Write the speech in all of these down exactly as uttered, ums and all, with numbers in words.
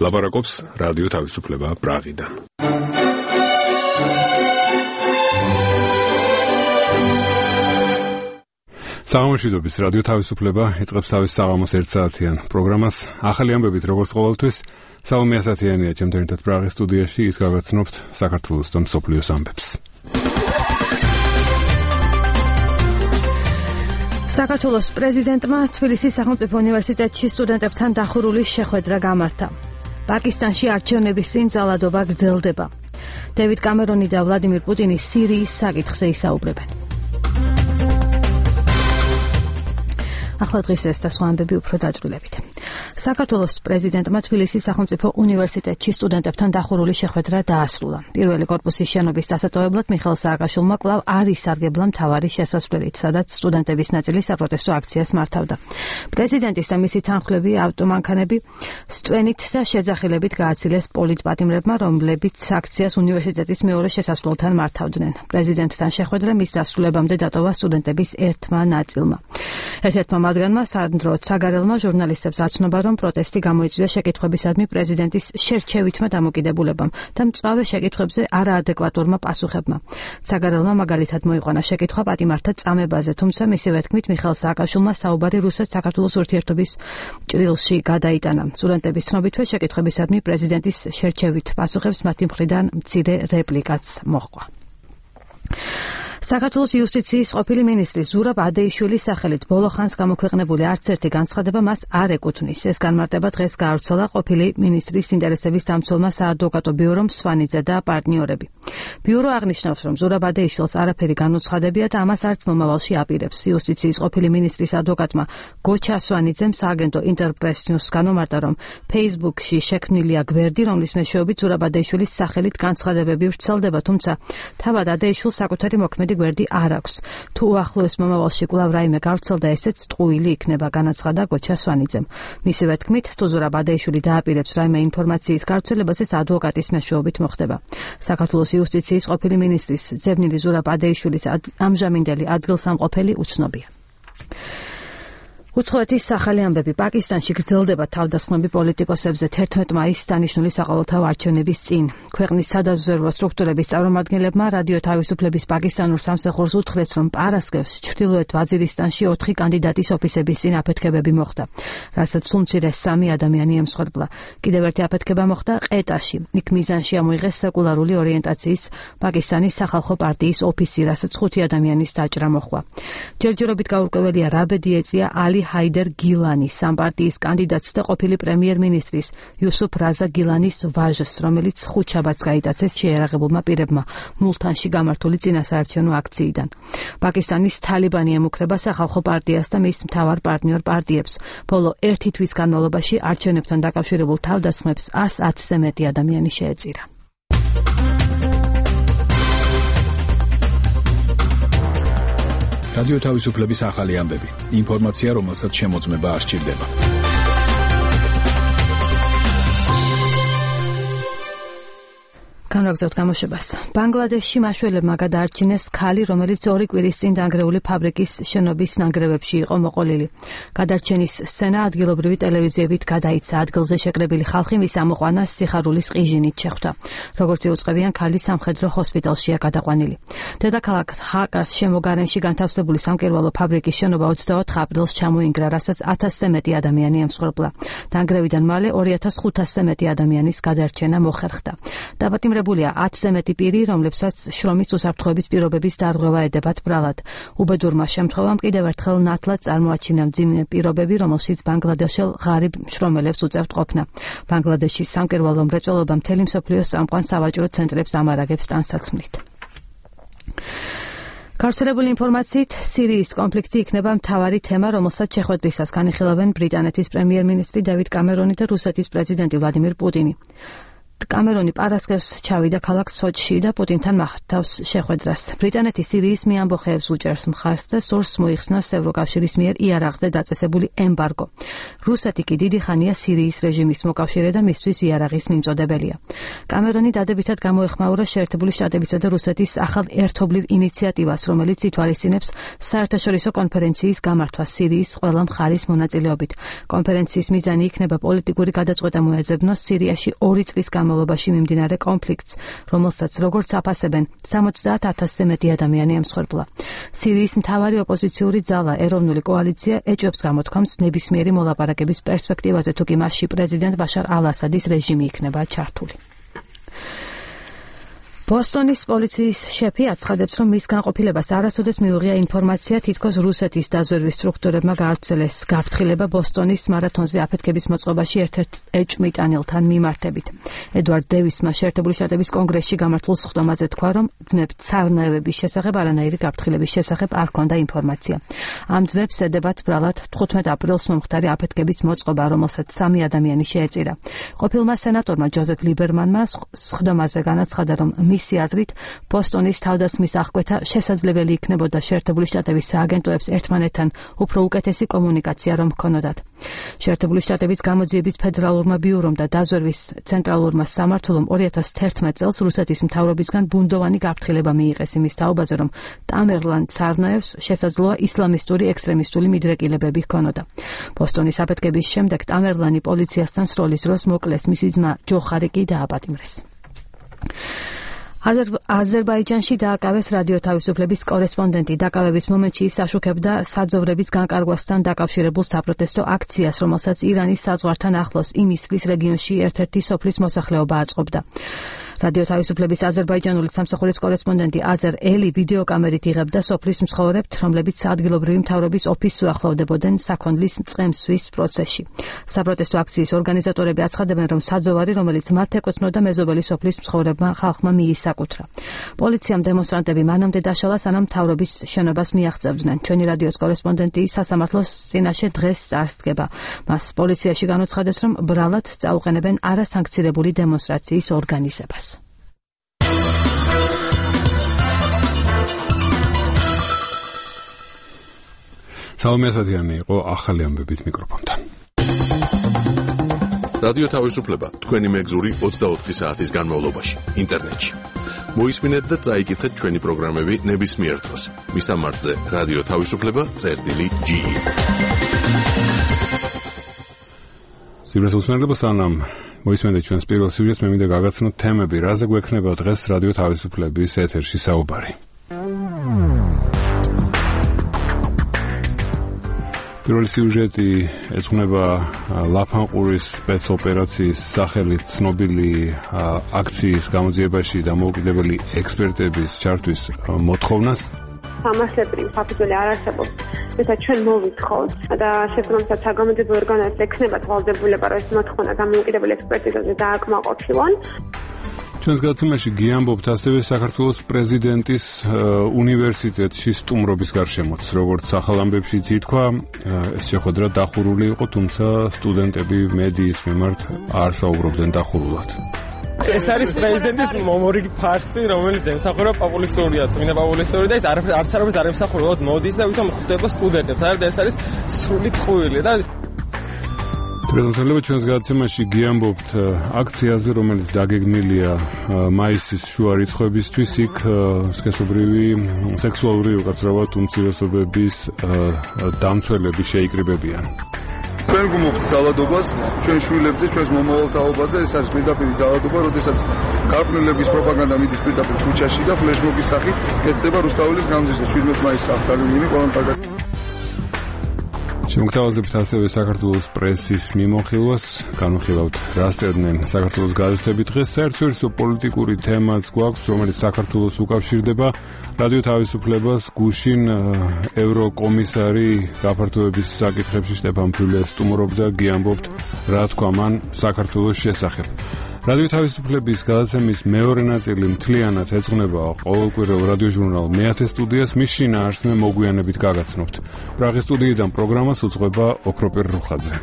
ლაპარაკობს რადიო თავისუფლება პრაღიდან. საღამოშვიდობის რადიო თავისუფლება იწყებს თავის საღამოს ერთ საათიან პროგრამას. ახალი ამბებით როგორც ყოველთვის, სალომე ასათიანია ჩემთან ერთად პრაღის სტუდიაში, ის გაგაცნობთ საქართველოს და მსოფლიოს ამბებს. საქართველოს პრეზიდენტმა თბილისის სახელმწიფო უნივერსიტეტში სტუდენტებთან დახურული შეხვედრა გამართა. პაკისტანში არჩევნების წინ ძალადობა გრძელდება. დევიდ კამერონი და ვლადიმირ პუტინი სირიის საკითხზე ისაუბრებენ. ახლა დღეს ეს და სხვა ამბები უფრო დაწვრილებით. საქართველოს პრეზიდენტმა თბილისის სახელმწიფო უნივერსიტეტში სტუდენტებთან დახურული შეხვედრა დაასრულა. პირველი კორპუსის შენობის დასატოვებლად მიხეილ სააკაშვილმა კვლავ არ ისარგებლა მთავარი შესასვლელით, სადაც სტუდენტების ნაწილი საპროტესტო აქციას მართავდა. პრეზიდენტის და მისი თანხმლები ავტომანქანები სტვენით და შეძახილებით გააცილეს პოლიტპატიმრებმა, რომლებიც აქციას უნივერსიტეტის მეორე შესასვლელთან მართავდნენ. პრეზიდენტთან შეხვედრა მის დასრულებამდე დატოვა სტუდენტების ერთმა ნაწილმა. ერთ-ერთმა მათგანმა სანდრო ცაგარელმა ჟურნალისტებს აცნობა, რომ პროტესტი გამოიწვია შეკითხვებისადმი პრეზიდენტის შერჩევითმა დამოკიდებულებამ და მწვავე შეკითხვებზე არაადეკვატურმა პასუხებმა. ცაგარელმა მაგალითად მოიყვანა შეკითხვა პატიმართა წამებაზე, თუმცა მისივე თქმით მიხეილ სააკაშვილმა საუბარი რუსეთ-საქართველოს ურთიერთობის ჭრილში გადაიტანა. სტუდენტების ცნობითვე შეკითხვებისადმი პრეზიდენტის შერჩევით პასუხებს მათი მხრიდან მცირე რეპლიკაც მოჰყვა. საქართველოს იუსტიციის ყოფილი მინისტრის ზურაბ ადეიშვილის სახელით ბოლო ხანს გამოქვეყნებული არც ერთი განცხადება მას არ ეკუთვნის. ეს განმარტება დღეს გაავრცელა ყოფილი მინისტრის ინტერესების დამცველმა საადვოკატო ბიურომ სვანიძე და პარტნიორები. ბიურო აღნიშნავს, რომ ზურაბ ადეიშვილს არაფერი განუცხადებია და ამას არც მომავალში აპირებს. იუსტიციის ყოფილი მინისტრის ადვოკატმა გოჩა სვანიძემ სააგენტო ინტერპრეს ნიუსს განმარტა, რომ Facebook-ში შექმნილია გვერდი, რომლის მეშვეობით ზურაბ ადეიშვილის სახელით განცხადებები ვრცელდება, თუმცა თავად ადეიშვილს საკუთარი მოქმედი გვერდი არ აქვს. თუ უახლოეს მომავალში კვლავ რაიმე გავრცელდა, ესეც ტყუილი იქნება, განაცხადა გოჩა სვანიძემ. მისივე თქმით, თუ ზურაბ ადეიშვილი დააპირებს რაიმე ინფორმაციის გავრცელებას, ეს ადვოკატის მეშვეობით მოხდება. საქართველოს იუსტიციის ყოფილი მინისტრის ძებნილი ზურაბ ადეიშვილის ამჟამინდელი ადგილსამყოფელი უცნობია. უცხოეთის სახალი ამბები. პაკისტანში გრძელდება თავდასხმები პოლიტიკოსებზე თერთმეტ მაისს დანიშნული საყოველთაო არჩევნების წინ. ქვეყნის სადაზვერვო სტრუქტურების წარმომადგენლებმა რადიო თავისუფლების პაკისტანურ სამსახურს უთხრეს, რომ პარასკევს ჩრდილოეთ ვაზირისტანში ოთხი კანდიდატის ოფისების წინ აფეთქებები მოხდა, რასაც სულ მცირე სამი ადამიანი ემსხვერპლა. კიდევ ერთი აფეთქება მოხდა ყეტაში. იქ მიზანში ამოიღეს სეკულარული ორიენტაციის პაკისტანის სახალხო პარტიის ოფისი, რასაც ხუთი ადამიანის დაჭრა მოჰყვა. ჯერჯერობით გაურკვეველია რა ბედი ეწია ალი ჰაიდერ გილანის, ამ პარტიის კანდიდატს და ყოფილი პრემიერ-მინისტრის იუსუფ რაზა გილანის ვაჟს, რომელიც ხუთშაბათს გაიტაცეს შეერაღებულმა პირებმა მულთანში გამართული წინასაარჩევნო აქციიდან. პაკისტანის თალიბანი ემუქრება სახალხო პარტიას და მის მთავარ პარტნიორ პარტიებს. ბოლო ერთი თვის განმავლობაში არჩევნებთან დაკავშირებულ თავდასხმებს ას ათზე მეტი ადამიანი შეეწირა. რადიო თავისუფლების ახალი ამბები. ინფორმაცია, რომელსაც შემოწმება არ სჭირდება. განვაგრძობთ გამოშვებას. ბანგლადეშში მაშველებმა გადაარჩინეს ქალი, რომელიც ორი კვირის წინ დანგრეული ფაბრიკის შენობის ნანგრევებში იყო მოყოლილი. გადარჩენის სცენა ადგილობრივი ტელევიზიებით გადაიცა. ადგილზე შეკრებილი ხალხი მის ამოყვანას სიხარულის ყიჟინით შეხვდა. როგორც იუწყებიან, ქალი სამხედრო ჰოსპიტალშია გადაყვანილი. დედაქალაქ ჰაკას შემოგარენში განთავსებული სამკერვალო ფაბრიკის შენობა ოცდაოთხ აპრილს ჩამოინგრა, რასაც ათასზე მეტი ადამიანი ემსხვერპლა. დანგრევიდან მალე ორი ათას ხუთასზე მეტი ადამიანის გადარჩენა მოხერხდა. დაპატიმრებული ათზე მეტი პირი, რომლებსაც შრომის უსაფრთხოების პირობების დარღვევა ედებათ ბრალად. უბედურმა შემთხვევამ კიდევ ერთხელ ნათლად წარმოაჩინა მძიმე პირობები, რომელშიც ბანგლადეშელ ღარიბ მშრომელებს უწევთ ყოფნა. ბანგლადეშის სამკერვალო მრეწველობა მთელი მსოფლიოს წამყვან სავაჭრო ცენტრებს ამარაგებს ტანსაცმლით. გავრცელებული ინფორმაციით, სირიის კონფლიქტი იქნება მთავარი თემა, რომელსაც შეხვედრისას განიხილავენ ბრიტანეთის პრემიერ-მინისტრი დევიდ კამერონი და რუსეთის პრეზიდენტი ვლადიმირ პუტინი. კამერონი პარასკევს ჩავიდა ქალაქ სოჩში და პუტინთან მართავს შეხვედრას. ბრიტანეთი სირიის მიამბოხეებს უჭერს მხარს და სურს მოიხსნას ევროკავშირის მიერ იარაღზე დაწესებული ემბარგო. რუსეთი კი დიდი ხანია სირიის რეჟიმის მოკავშირე და მისთვის იარაღის მიმწოდებელია. კამერონი დადებითად გამოეხმაურა შეერთებული შტატებისა და რუსეთის ახალ ერთობლივ ინიციატივას, რომელიც ითვალისწინებს საერთაშორისო კონფერენციის გამართვას სირიის ყველა მხარის მონაწილეობით. კონფერენციის მიზანი იქნება პოლიტიკური გადაწყვეტა მოეძებნოს სირიაში ორი წლის განმავლობაში მიმდინარე კონფლიქტს, რომელსაც როგორც აფასებენ სამოცდაათ ათასზე მეტი ადამიანი ემსხვერპლა. სირიის მთავარი ოპოზიციური ძალა ეროვნული კოალიცია ეჭვებს გამოთქვამს ნებისმიერი მოლაპარაკების პერსპექტივაზე, თუ კი მასში პრეზიდენტ ბაშარ ალ-ასადის რეჟიმი იქნება ჩართული. ბოსტონის პოლიციის შეფი აცხადებს, რომ მის განყოფილებას არასოდეს მიუღია ინფორმაცია, თითქოს რუსეთის დაზვერვის სტრუქტურებმა გაავრცელეს გაფრთხილება ბოსტონის მარათონზე აფეთქების მოწყობაში ერთ-ერთ ეჭვმიტანილთან მიმართებით. ედვარდ დევისმა შეერთებული შტატების კონგრესში გამართულ სხდომაზე თქვა, რომ ძმებ ცარნაევების შესახებ არანაირი გაფრთხილების შესახებ არ ჰქონდა ინფორმაცია. ამ ძმებს ედებათ ბრალად თხუთმეტ აპრილს მომხდარი აფეთქების მოწყობა, რომელსაც სამი ადამიანი შეეწირა. ყოფილმა სენატორმა ჯოზეფ ლიბერმანმა სხდომაზე განაცხადა, რომ მისი აზრით ბოსტონის თავდასხმის აღკვეთა შესაძლებელი იქნებოდა შეერთებული შტატების სააგენტოებს ერთმანეთთან უფრო უკეთესი კომუნიკაცია რომ ჰქონოდათ. შეერთებული შტატების გამოძიების ფედერალურმა ბიურომ და დაზვერვის ცენტრალურმა სამმართველომ ორი ათას თერთმეტ წელს რუსეთის მთავრობისგან ბუნდოვანი გაფრთხილება მიიღეს იმის თაობაზე, რომ ტამერლან ცარნაევს შესაძლოა ისლამისტური ექსტრემისტული მიდრეკილებები ჰქონოდა. ბოსტონის აფეთქების შემდეგ ტამერლანი პოლიციასთან სროლის დროს მოკლეს, მისი ძმა ჯოხარი კი დააპატიმრეს. აზერბაიჯანში დააკავეს რადიო თავისუფლების კორესპონდენტი. დაკავების მომენტში ის აშუქებდა საძოვრების განკარგვასთან დაკავშირებულ საპროტესტო აქციას, რომელსაც ირანის საზღვართან ახლოს იმისლის რეგიონში ერთ-ერთი სოფლის მოსახლეობა აწყობდა. რადიო თავისუფლების აზერბაიჯანული სამსახურის კორესპონდენტი აზერ ელი ვიდეოკამერით იღებდა სოფლის მცხოვრებთ, რომლებიც ადგილობრივი მთავრობის ოფისს უახლოვდებოდნენ საქონლის წყემსვის პროცესში. საპროტესტო აქციის ორგანიზატორები აცხადებენ, რომ საძოვარი, რომელიც მათ ეკუთვნოდა, მეზობელი სოფლის მცხოვრებმა ხალხმა მიისაკუთრა. პოლიციამ დემონსტრანტები მანამდე დაშალა, სანამ მთავრობის შენობას მიაღწევდნენ. ჩვენი რადიოს კორესპონდენტი სასამართლოს წინაშე დღეს წარსდგება. მას პოლიციაში განუცხადეს, რომ ბრალად წაუყენებენ არასანქცირებული დემონსტრაციის ორგანიზებას. სალომე ასათიანი იყო ახალი ამბებით მიკროფონთან. რადიო თავისუფლება თქვენი მეგზური ოცდაოთხი საათის განმავლობაში ინტერნეტში. მოისმინეთ და წაიკითხეთ ჩვენი პროგრამები ნებისმიერ დროს. მისამართზე რადიო თავისუფლება წერტილი ჯი. სივრცე უსმენელობა სანამ მოისმენთ ჩვენს პირველ სიუჟეტს, მე მინდა გაგაცნოთ თემები, რაზე გვექნება დღეს რადიო თავისუფლების ეთერში საუბარი. პირველი სიუჟეტი ეძღვნება ლაფანყურის სპეცოპერაციის სახელით ცნობილი აქციის გამოძიებაში დამოუკიდებელი ექსპერტების ჩართვის მოთხოვნას. სამართლებრივი საფუძველი არ არსებობს. Mesela ჩვენ მოვითხოვთ და შეფრთხილდაც საგამოძიებო ორგანოებს ექნებათ ვალდებულება, რომ ეს მოთხოვნა დამოუკიდებელი ექსპერტიზაზე დააკმაყოფილონ. ჩვენს გადაცემაში გიამბობთ ასევე საქართველოს პრეზიდენტის უნივერსიტეტში სტუმრობის გარშემოც. როგორც ახალ ამბებშიც ითქვა, ეს შეხვედრა დახურული იყო, თუმცა სტუდენტები მედიის მიმართ არ საუბრობდნენ დახურულად. ეს არის პრეზიდენტის მომორიგი ფარსი, რომელიც ემსახურება პოპულისტურია, წმინდა პოპულისტური და ეს არც არც არ ემსახურება მოდის და ვითომ ხვდება სტუდენტებს. არა, ეს არის სრული ტყუილი და პრეზიდენტები ჩვენს გადაცემაში გიამბობთ აქციაზე, რომელიც დაგეგმილია მაისის შუა რიცხვებისთვის, იქ სქესობრივი სექსუალური უკაცრავად უმცირესობების დამცველები შეიკრიბებიან. ჩვენ გუმობთ ძალადობას ჩვენ შვილებზე, ჩვენს მომავალ თაობაზე. ეს არის პირდაპირი ძალადობა, როდესაც გარყვნილების პროპაგანდა მიდის პირდაპირ ქუჩაში და ფლეშმობის სახით კეთდება რუსთაველის გამზირზე შვიდმეტ მაისს აღდგენილი ყველამ კარგად. შემოგთავაზებთ ასევე საქართველოს პრესის მიმოხილვას, განვიხილავთ რა წერდნენ საქართველოს გაზეთები დღეს. საერთაშორისო პოლიტიკური თემაც გვაქვს, რომელიც საქართველოს უკავშირდება. რადიო თავისუფლებას გუშინ ევროკომისარი გაფართოების საკითხებში შტეფან ფიულე სტუმრობდა, გიამბობთ რა თქვა მან საქართველოს შესახებ. რადიო თავისუფლების გადაცემის მეორე ნაწილი მთლიანად ეძღვნება ყოველკვირეულ რადიოჟურნალ მეათე სტუდიას, მის შინაარსს მე მოგვიანებით გაგაცნობთ. პრაღის სტუდიიდან პროგრამას უძღვება ოქროპირ რუხაძე.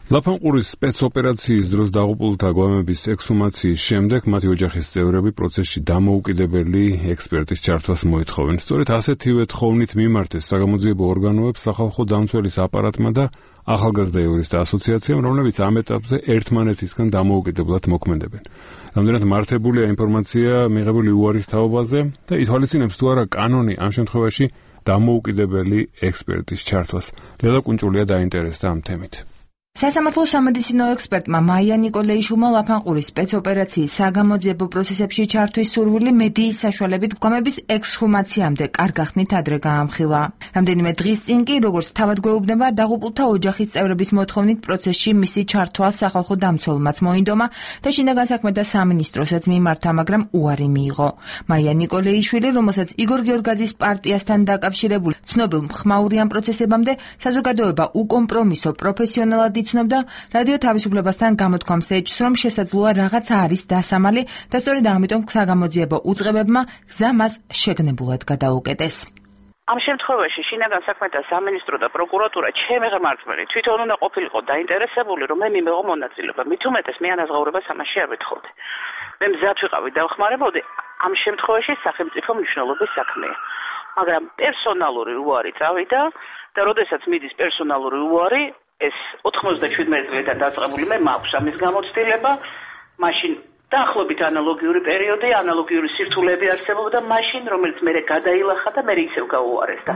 ლაფანყურის სპეცოპერაციის დროს დაღუპულთა გვამების ექსჰუმაციის შემდეგ მათი ოჯახის წევრები პროცესში დამოუკიდებელი ექსპერტის ჩართვას მოითხოვენ. სწორედ ასეთივე თხოვნით მიმართეს საგამოძიებო ორგანოებს სახალხო დამცველის აპარატმა და ახალგაზრდა იურისტთა ასოციაციამ, რომლებიც ამ ეტაპზე ერთმანეთისგან დამოუკიდებლად მოქმედებენ. რამდენად მართებულია ინფორმაცია მიღებული უარის თაობაზე და ითვალისწინებს თუ არა კანონი ამ შემთხვევაში დამოუკიდებელი ექსპერტის ჩართვას. ლელა კუნჭულია დაინტერესდა ამ თემით. სასამართლო სამედიცინო ექსპერტმა მაია ნიკოლეიშვილმა ლაფანყურის სპეცოპერაციის საგამოძიებო პროცესებში ჩართვის სურვილი მედიის საშუალებით გვამების ექსჰუმაციამდე კარგახნით ადრე გაამხილა. რამდენიმე დღის წინ კი, როგორც თავად გვეუბნება, დაღუპულთა ოჯახის წევრების მოთხოვნით პროცესში მისი ჩართვა სახალხო დამცველმაც მოინდომა და შინაგან საქმეთა სამინისტროსაც მიმართა, მაგრამ უარი მიიღო. მაია ნიკოლეიშვილი, რომელსაც იგორ გიორგაძის პარტიასთან დაკავშირებული ცნობილ მხმაური ამ პროცესებამდე საზოგადოება უკომპრომისო პროფესიონალად იცნობდა, რადიო თავისუფლებასთან გამოთქვამს ეჭვს, რომ შესაძლოა რაღაცა არის დასამალი და სწორედ ამიტომ საგამოძიებო უწყებებმა გზა მას შეგნებულად გადაუკეტეს. ამ შემთხვევაში შინაგან საქმეთა სამინისტრო და პროკურატურა ჩემი ღმერთმელი თვითონ უნდა ყოფილიყო დაინტერესებული, რომ მე მიმეღო მონაწილეობა. მით უმეტეს მე ანაზღაურებას ამაში არ ვეთხოვდი. მე მზად ვიყავი და ვხმარებოდი ამ შემთხვევაში სახელმწიფო მნიშვნელობის საქმეა. მაგრამ პერსონალური უარი წავიდა და როდესაც მიდის პერსონალური უარი, ეს ოთხმოცდაშვიდმეტი წლიდან დაწყებული მე მაქვს ამის გამოცდილება, მაშინ დაახლოებით ანალოგიური პერიოდი, ანალოგიური სირთულეები არსებობდა მაშინ, რომელიც მე გადაილახა და მე ისევ გაუარესდა.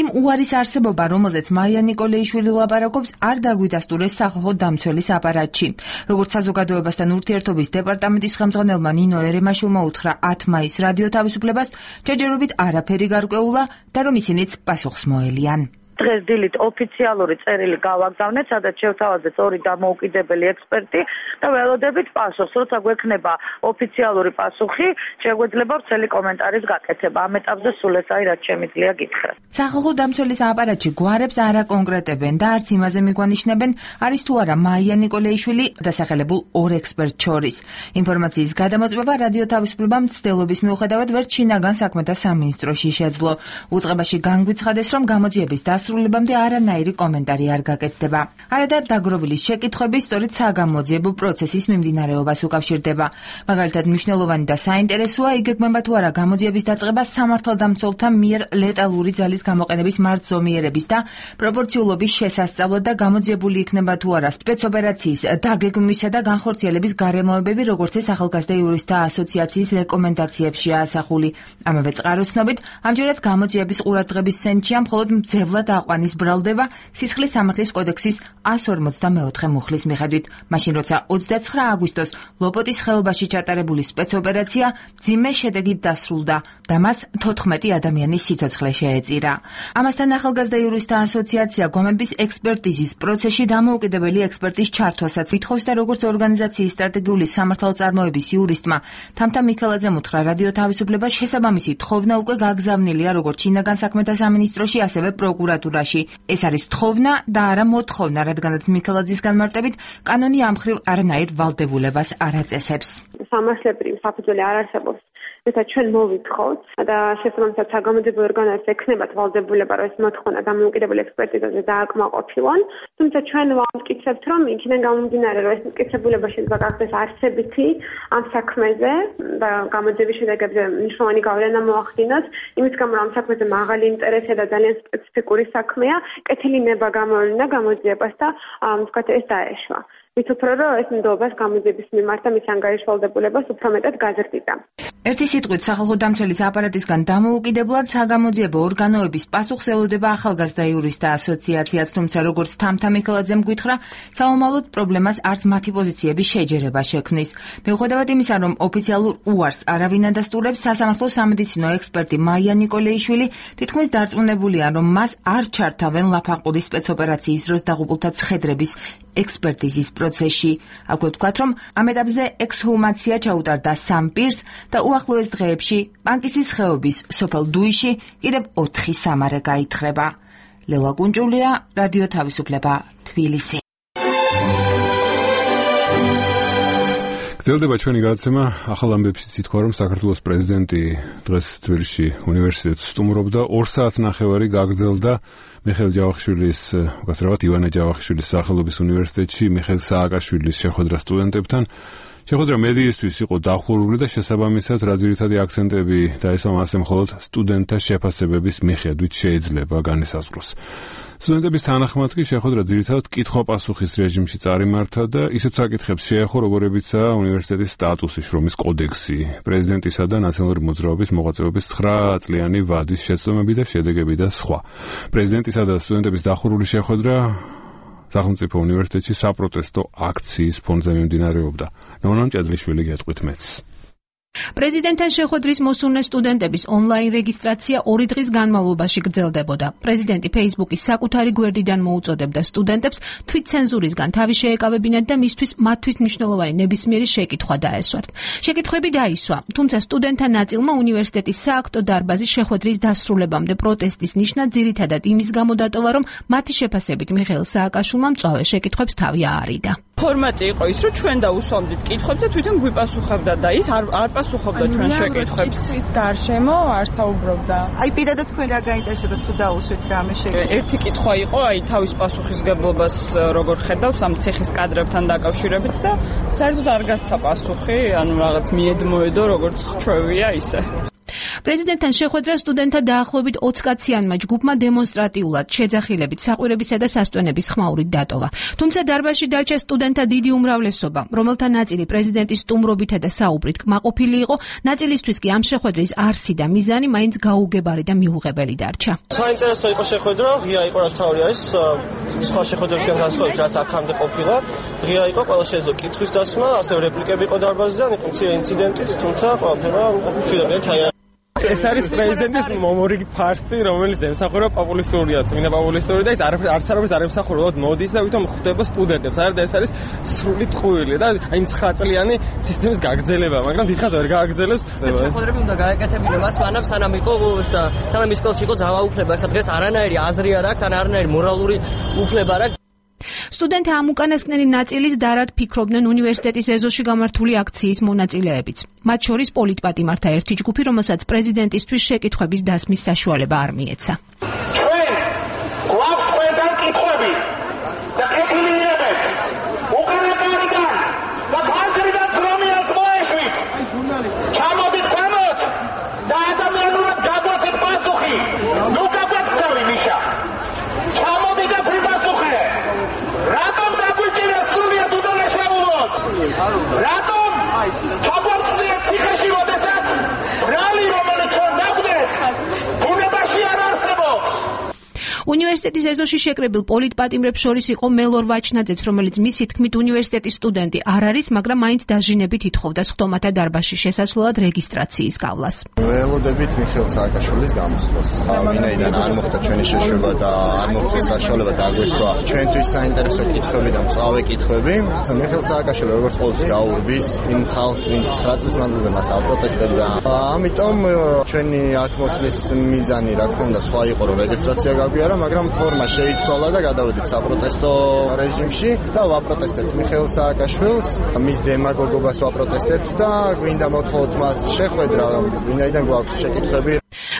იმ უარის არსებობა, რომელზეც მაია ნიკოლეიშვილი ლაპარაკობს, არ დაგვიდასტურეს სახალხო დამცველის აპარატში. როგორც საზოგადოებასთან ურთიერთობის დეპარტამენტის ხელმძღვანელმა ნინო ერემაშვილმა უთხრა ათი მაისს რადიო თავისუფლებას, ჯერჯერობით არაფერი გარკვეულა და რომ ისინიც პასუხს მოელიან. დღეს დილით ოფიციალური წერილი გავაგზავნეთ, სადაც შევთავაზეთ ორი დამოუკიდებელი ექსპერტი და ველოდებით პასუხს. როცა გვექნება ოფიციალური პასუხი, შეგვეძლება ვრცელი კომენტარის გაკეთება. ამ ეტაპზე სულ ეს არის, რაც შემიძლია გითხრათ. სახალხო დამცველის აპარატში გვარებს არ აკონკრეტებენ და არც იმაზე მიგვანიშნებენ, არის თუ არა მაია ნიკოლეიშვილი დასახელებულ ორ ექსპერტ შორის. ინფორმაციის გადამოწმება რადიო თავისუფლებამ მცდელობის მიუხედავად ვერ შინაგან საქმეთა სამინისტროში შეძლო. უწყებაში განგვიცხადეს, რომ გამოძიების დასრულებამდე არანაირი კომენტარი არ გაკეთდება. არადა დაგროვილი შეკითხვები სწორედ საგამოძიებო პროცესის მიმდინარეობას უკავშირდება. მაგალითად, მნიშვნელოვანი და საინტერესოა იგეგმება თუ არა გამოძიების დაწყება სამართალდამცველთა მიერ ლეტალური ძალის გამოყენების მარცხზომიერების და პროპორციულობის შესასწავლად და გამოძიებული იქნება თუ არა სპეცოპერაციის დაგეგმვისა და განხორციელების გარემოებები, როგორც ეს ახალგაზრდა იურისტთა ასოციაციის რეკომენდაციებშია ასახული. ამავე წყაროს ცნობით, ამჯერად გამოძიების ყურადღების ცენტრშია მხოლოდ მძევლად აყვანის ბრალდება სისხლის სამართლის კოდექსის εκατს ორმოცდამეოთხე მუხლის მიხედვით. მაშინ როცა ოცდაცხრა აგვისტოს ლოპოტის ხეობაში ჩატარებული სპეცოპერაცია მძიმე შედეგით დასრულდა და მას თოთხმეტი ადამიანის სიცოცხლე შეეწირა. ამასთან ახალგაზრდა იურისტთა ასოციაცია გვამების ექსპერტიზის პროცესში დამოუკიდებელი ექსპერტის ჩართვასაც ითხოვს და როგორც ორგანიზაციის სტრატეგიული სამართალწარმოების იურისტმა თამთა მიქელაძემ უთხრა რადიო თავისუფლებას, შესაბამისი თხოვნა უკვე გაგზავნილია როგორც შინაგან საქმეთა სამინისტროში, ასევე პროკურატურაში. ეს არის თხოვნა და არა მოთხოვნა, რადგანაც მიქელაძის განმარტებით კანონი ამ მხრივ არანაირ ვალდებულებას არ აწესებს. სამართლებრივი საფუძველი არ არსებობს. როცა ჩვენ მოვითხოვთ და შესაბამისად საგამოძიებო ორგანოებს ექნებათ ვალდებულება, რომ ეს მოთხოვნა დამოუკიდებელი ექსპერტიზაზე დააკმაყოფილონ, თუმცა ჩვენ ვამტკიცებთ, რომ იქიდან გამომდინარე, რომ ეს მტკიცებულება შეიძლება გახდეს არცებითი ამ საქმეზე და გამოძიების შედეგებზე მნიშვნელოვანი გავლენა მოახდინოს, იმის გამო რომ ამ საქმეზე მაღალი ინტერესია და ძალიან სპეციფიკური საქმეა, კეთილი ნება გამოევლინა გამოძიებას და თქვათ ეს დაეშვა. მით უფრო რომ ეს ნდობას გამოძიების მიმართ და მის ანგარიშვალდებულებას უფრო მეტად გაზრდიდა. ერთი სიტყვით სახალხო დამცველის აპარატისგან დამოუკიდებლად საგამოძიებო ორგანოების პასუხს ელოდება ახალგაზრდა იურისტთა ასოციაციაც, თუმცა როგორც თამთა მიქელაძემ გითხრა, საომალოდ პრობლემას არც მათი პოზიციების შეჯერება შექმნის. მიუხედავად იმისა, რომ ოფიციალურ უარს არავინ ადასტურებს, სასამართლო სამედიცინო ექსპერტი მაია ნიკოლეიშვილი თითქმის დარწმუნებულია, რომ მას არ ჩართავენ ლაფანყურის სპეცოპერაციის დროს დაღუპულთა ცხედრების ექსპერტიზის პროცესში. აქვე ვთქვათ, რომ ამ ეტაპზე ექსჰუმაცია ჩაუტარდა სამ პირს და უახლოეს დღეებში პანკისის ხეობის სოფელ დუიში კიდევ ოთხი სამარე გაითხრება. ლელა კუნჭულია, რადიო თავისუფლება, თბილისი. გრძელდება ჩვენი გადაცემა. ახალ ამბებშიც ითქვა, რომ საქართველოს პრეზიდენტი დღეს თბილისში უნივერსიტეტს სტუმრობდა. ორ საათ ნახევარი გაგრძელდა მიხეილ ჯავახიშვილის, უკაცრავად ივანე ჯავახიშვილის სახელობის უნივერსიტეტში მიხეილ სააკაშვილის შეხვედრა სტუდენტებთან. შეხვედრა მედიისთვის იყო დახურული და შესაბამისად რა ძირითადი აქცენტები დაისვა მასზე მხოლოდ სტუდენტთა შეფასებების მიხედვით შეიძლება განისაზღვროს. სტუდენტების თანახმად კი შეხვედრა ძირითადად კითხვა-პასუხის რეჟიმში წარიმართა და ისეთ საკითხებს შეეხო, როგორებიცაა უნივერსიტეტის სტატუსი, შრომის კოდექსი, პრეზიდენტისა და ნაციონალური მოძრაობის მოღვაწეობის ცხრა წლიანი ვადის შეცდომები და შედეგები და სხვა. პრეზიდენტისა და სტუდენტების დახურული შეხვედრა სახელმწიფო უნივერსიტეტში საპროტესტო აქციის ფონზე მიმდინარეობდა. ნონა მჭედლიშვილი გეტყვით მეც. პრეზიდენტთან შეხვედრის მოსურნე სტუდენტების ონლაინ რეგისტრაცია ორი დღის განმავლობაში გრძელდებოდა. პრეზიდენტი Facebook-ის საკუთარი გვერდიდან მოუწოდებდა სტუდენტებს თვითცენზურისგან თავი შეეკავებინათ და მისთვის მათთვის მნიშვნელოვანი ნებისმიერი შეკითხვა დაესვათ. შეკითხვები დაისვა, თუმცა სტუდენტთა ნაწილმა უნივერსიტეტის სააქტო დარბაზის შეხვედრის დასრულებამდე პროტესტის ნიშნად ძირითადად იმის გამო დატოვა, რომ მათი შეფასებით მიხეილ სააკაშვილმა მწვავე შეკითხვებს თავი აარიდა. ფორმატი იყო ის, რომ ჩვენ დაუსვამდით კითხვებს და თვითონ გვიპასუხებდა და ის არ არ პასუხობდა ჩვენ შეკითხვებს. ის გარშემო არ საუბრობდა. აი პირადად თქვენ რა გაინტერესებათ თუ დაუსვით რამე შეკითხვა? ერთი კითხვა იყო, აი თავის პასუხისგებლობას როგორ ხედავს ამ ცეხის კადრებთან დაკავშირებით და საერთოდ არ გასცა პასუხი, ანუ რაღაც მიედმოედო როგორც ჩვევია ისე. პრეზიდენტთან შეხვედრა სტუდენტთა დაახლოებით ოცი კაციანმა ჯგუფმა დემონსტრატიულად შეძახილებით საყვირებისა და სასტვენების ხმაურით დატოვა. თუმცა დარბაზში დარჩა სტუდენტთა დიდი უმრავლესობა, რომელთა ნაწილი პრეზიდენტის სტუმრობითა და საუბრით კმაყოფილი იყო, ნაწილისთვის კი ამ შეხვედრის არსი და მიზანი მაინც გაუგებარი და მიუღებელი დარჩა. საინტერესო იყო შეხვედრა, ღია იყო რაც თავი არის, სხვა შეხვედრებისგან განსხვავებით რაც აქამდე ყოფილა, ღია იყო, ყველა შეეძლო კითხვის დასმა, ასევე რეპლიკები იყო დარბაზიდან, იყო მცირე ინციდენტიც, თუმცა ყველაფერმა მშვიდობიან ჩაიარა. ეს არის პრეზიდენტის მომორიგი ფარსი, რომელიც ემსახურება პოპულისტურია, წმინდა პოპულისტური და ის არც არაფერს არ ემსახურება, მოდის და ვითომ ხვდება სტუდენტებს. არა და ეს არის სრული ტყუილი და აი ცხრა წლიანი სისტემის გაგრძელება, მაგრამ დიდხანს ვერ გააგრძელებს. შეხვედრები უნდა გაეკეთებინა მას მანამ სანამ იყო სანამ ის სკოლაში იყო ძალაუფლება, ახლა დღეს არანაირი აზრი არ აქვს, არანაირი მორალური უფლება არ აქვს. სტუდენტთა ამ უკანასკნელი ნაწილის დარად ფიქრობდნენ უნივერსიტეტის ეზოში გამართული აქციის მონაწილეებიც. მათ შორის პოლიტპატიმართა ერთი ჯგუფი, რომელსაც პრეზიდენტისთვის შეკითხვების დასმის საშუალება არ მიეცა. ჩვენ გვაქვს ყველგან კითხვები და კეთილიერებებს. უკანასკნელიდან და ფანჯრიდან ძრომიას მოეშვით. ჩამოდით ქვემოთ და ადამიანურად გაგვაცეთ პასუხი. ნუ გაგვაქცევი მიშა. ჩამოდი და გვიპასუხე. რატომ დაგვიჭირა სრულიად უდანაშაულოდ? რატომ ჩაგვარწმუნეთ ციხეში, როდესაც ბრალი, რომელიც ჩვენ დაგვდეს, ბუნებაში არ არსებობს? უნივერსიტეტის ეზოში შეკრებილ პოლიტპატიმრებს შორის იყო მელორ ვაჩნაძეც, რომელიც მისი თქმით უნივერსიტეტის სტუდენტი არ არის, მაგრამ მაინც დაჟინებით ითხოვდა სხდომათა დარბაზში შესასვლელად რეგისტრაციის გავლას. ველოდებით მიხეილ სააკაშვილის გამოსვლას. ვინაიდან არ მოხდა ჩვენი შეშვება და არ მოხდეს საშუალება დაგვესვა ჩვენთვის საინტერესო კითხვები და მწვავე კითხვები. მიხეილ სააკაშვილი როგორც ყოველთვის გაურბის იმ ხალხს, ვინც ცხრა წლის მანძილზე მას აპროტესტებდა. ამიტომ ჩვენი აქ მოსვლის მიზანი რა თქმა უნდა სხვა იყო, რომ რეგისტრაცია გაგვიარა, მაგრამ ფორმა შეიცვალა და გადავედით საპროტესტო რეჟიმში და ვაპროტესტებთ მიხეილ სააკაშვილს, მის დემაგოგობას ვაპროტესტებთ და გვინდა მოთხოვოთ მას შეხვედრა, ვინაიდან გვაქვს შეკითხვები.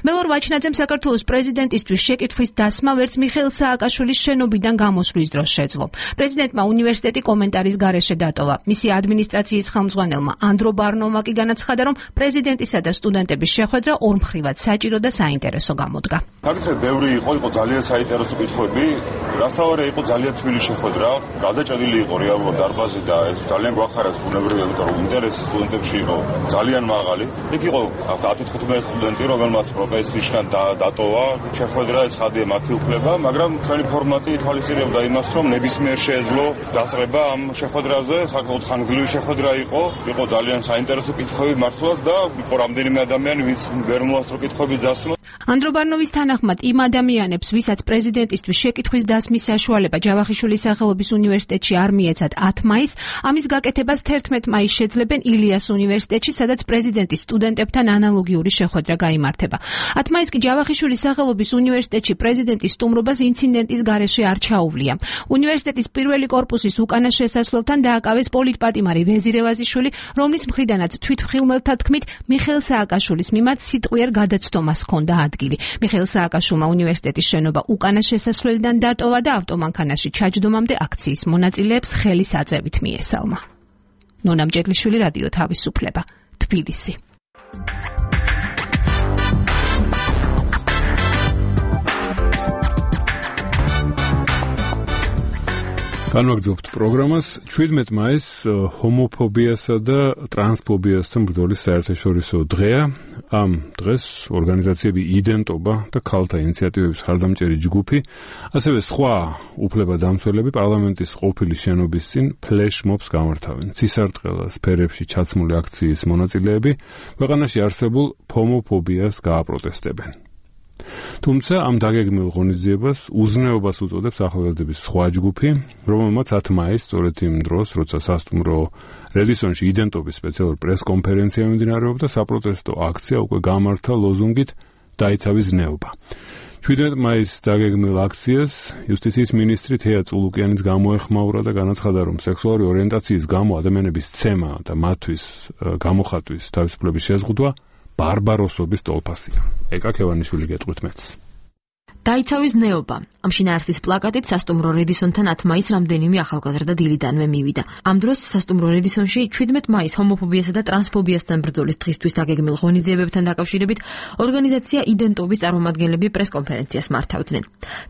მელორ ვაჩნაძემ საქართველოს პრეზიდენტისთვის შეკითხვის დასმა ვერც მიხეილ სააკაშვილის შენობიდან გამოსვლის დროს შეძლო. პრეზიდენტმა უნივერსიტეტი კომენტარის გარეშე დატოვა. მისი ადმინისტრაციის ხელმძღვანელმა ანდრო ბარნოვმა კი განაცხადა, რომ პრეზიდენტისა და სტუდენტების შეხვედრა ორმხრივად საჭირო და საინტერესო გამოდგა. საკითხები ბევრი იყო, იყო ძალიან საინტერესო კითხვები. რასთავარია იყო ძალიან თბილი შეხვედრა, გადაჭედილი იყო რეალურად დარბაზი და ეს ძალიან გვახარეს ბუნებრივია, იმიტომ რომ ინტერესი სტუდენტებში იყო ძალიან მაღალი. იქ იყო ათი თხუთმეტი სტუდენტი, რომელმაც პროფესიისგან დატოვა შეხვედრა, ცხადია მათი უფლება, მაგრამ ჩვენი ფორმატი ითვალისწინებდა იმას, რომ ნებისმიერ შეეძლო დასწრება ამ შეხვედრაზე, საკმაოდ ხანგრძლივი შეხვედრა იყო, იყო ძალიან საინტერესო კითხვები მართლაც და იყო რამდენიმე ადამიანი, ვინც ვერ მოასწრო კითხვების დასმა. ანდრობარნოვის თანახმად იმ ადამიანებს, ვისაც პრეზიდენტისთვის შეკითხვის დასმის საშუალება ჯავახიშვილის სახელობის უნივერსიტეტში არ მიეცათ ათი მაისს, ამის გაკეთებას თერთმეტი მაისს შეძლებენ ილიას უნივერსიტეტში, სადაც პრეზიდენტის სტუდენტებთან ანალოგიური შეხვედრა გაიმართება. ათი მაისს კი ჯავახიშვილის სახელობის უნივერსიტეტში პრეზიდენტის სტუმრობას ინციდენტის გარეშე არ ჩაუვლია. უნივერსიტეტის პირველი კორპუსის უკანა შესასვლელთან დააკავეს პოლიტპატიმარი რეზი რევაზიშვილი, რომლის მხრიდანაც თვითმხილველთა თქმით მიხეილ სააკაშვილის მიმართ სიტყვიერ გადაცდომას ჰქონდა ადგილი. მიხეილ სააკაშვილმა უნივერსიტეტის შენობა უკანა შესასვლელიდან დატოვა და ავტომანქანაში ჩაჯდომამდე აქციის მონაწილეებს ხელის აწევით მიესალმა. ნონა მჭედლიშვილი, რადიო თავისუფლება, თბილისი. განვაგრძობთ პროგრამას. ჩვიდმეტი მაისს ჰომოფობიასა და ტრანსფობიასთან ბრძოლის საერთაშორისო დღეა. ამ დღეს ორგანიზაციები იდენტობა და ქალთა ინიციატივების ხარდამჭერი ჯგუფი, ასევე სხვა უფლებადამცველები პარლამენტის ყოფილი შენობის წინ ფლეშმობს გამართავენ. ცისარტყელა სფერებში ჩაცმული აქციის მონაწილეები ქვეყანაში არსებულ ჰომოფობიას გააპროტესტებენ. თუმცა ამ დაგეგმილ ღონისძიებას უზნეობას უწოდებს ახალგაზრდების სხვა ჯგუფი, რომელმაც ათი მაისს სწორედ იმ დროს, როცა სასტუმრო რედისონში იდენტობის სპეციალური პრესკონფერენცია მიმდინარეობდა, საპროტესტო აქცია უკვე გამართა ლოზუნგით დაიცავი ზნეობა. ჩვიდმეტი მაისს დაგეგმილ აქციას იუსტიციის მინისტრი თეა წულუკიანიც გამოეხმაურა და განაცხადა, რომ სექსუალური ორიენტაციის გამო ადამიანების ცემა და მათთვის გამოხატვის თავისუფლების შეზღუდვა ბარბაროსობის ტოლფასია. ეკა ქევანიშვილი გეტყვით მეც. დაიცავი ზნეობა. ამ შინაარსის პლაკატით სასტუმრო რედისონთან ათი მაისს რამდენიმე ახალგაზრდა დილიდანვე მივიდა. ამ დროს სასტუმრო რედისონში ჩვიდმეტი მაისს ჰომოფობიასა და ტრანსფობიასთან ბრძოლის დღისთვის დაგეგმილ ღონისძიებებთან დაკავშირებით ორგანიზაცია იდენტობის წარმომადგენლები პრესკონფერენციას მართავდნენ.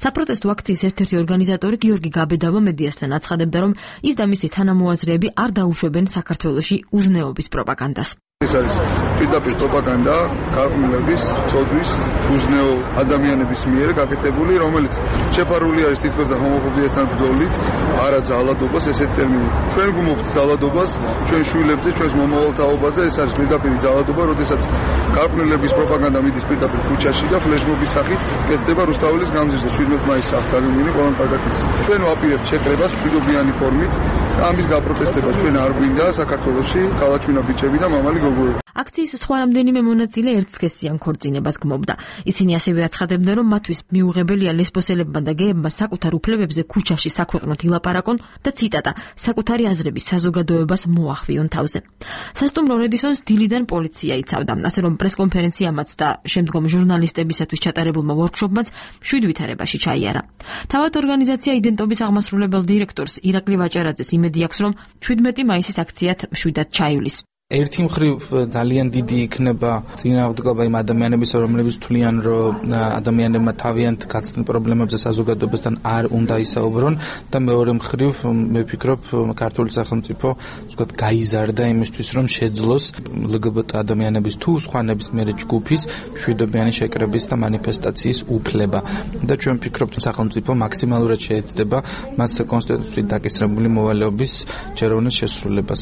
საპროტესტო აქციის ერთ-ერთი ორგანიზატორი გიორგი გაბედავა მედიასთან აცხადებდა, რომ ის და მისი თანამოაზრეები არ დაუშვებენ საქართველოში უზნეობის პროპაგანდას. ეს არის პირდაპირ პროპაგანდა გარყვნილების, წოდვის, უზნეო ადამიანების მიერ გაკეთებული, რომელიც შეფარული არის თითქოს და ჰომოფობიასთან ბრძოლით, არა ძალადობას, ესეთ ტერმინი. ჩვენ გუმობთ ძალადობას, ჩვენ შვილებზე, ჩვენს მომავალ თაობაზე, ეს არის პირდაპირ ძალადობა, როდესაც გარყვნილების პროპაგანდა მიდის პირდაპირ ქუჩაში და ფლეშმობის სახით კეთდება რუსთაველის გამზირზე. ჩვიდმეტი მაისს აღდგენილი ყველამ კარგად იცის. ჩვენ ვაპირებთ შეკრებას მშვიდობიანი ფორმით და ამის გაპროტესტება ჩვენ არ გვინდა საქართველოში, ქალაქჩვენა ბიჭები და მამალი გოგოები. აქციის სხვა რამდენიმე მონაწილე ერთსქესიან ქორწინებას გმობდა. ისინი ასევე აცხადებდნენ, რომ მათთვის მიუღებელია ლესბოსელებმა და გეებმა საკუთარ უფლებებზე ქუჩაში საქვეყნოდ ილაპარაკონ და ციტატა საკუთარი აზრების საზოგადოებას მოახვიონ თავზე. სასტუმრო რედისონს დილიდან პოლიცია იცავდა, ასე რომ პრესკონფერენციამაც და შემდგომ ჟურნალისტებისათვის ჩატარებულმა ვორქშოპმაც შვიდ ვითარებაში ჩაიარა. თავად ორგანიზაცია იდენტობის აღმასრულებელ დირექტორს ირაკლი ვაჭარაძეს იმედი აქვს, რომ ჩვიდმეტი მაისის აქციად შვიდად ჩაივლის. ერთი მხრივ ძალიან დიდი იქნება წინააღმდეგობა იმ ადამიანების, რომლებიც თვლიან, რომ ადამიანებმა თავიანთ გაცნილ პრობლემებზე საზოგადოებასთან არ უნდა ისაუბრონ და მეორე მხრივ მე ვფიქრობ, ქართული სახელმწიფო ვთქვათ გაიზარდა იმისთვის, რომ შეძლოს ლგბტ ადამიანების თუ სხვა ნებისმიერი ჯგუფის მშვიდობიანი შეკრების და მანიფესტაციის უფლება. და ჩვენ ვფიქრობთ, სახელმწიფო მაქსიმალურად შეეცდება მას კონსტიტუციით დაკისრებული მოვალეობის ჯეროვნულ შესრულებას.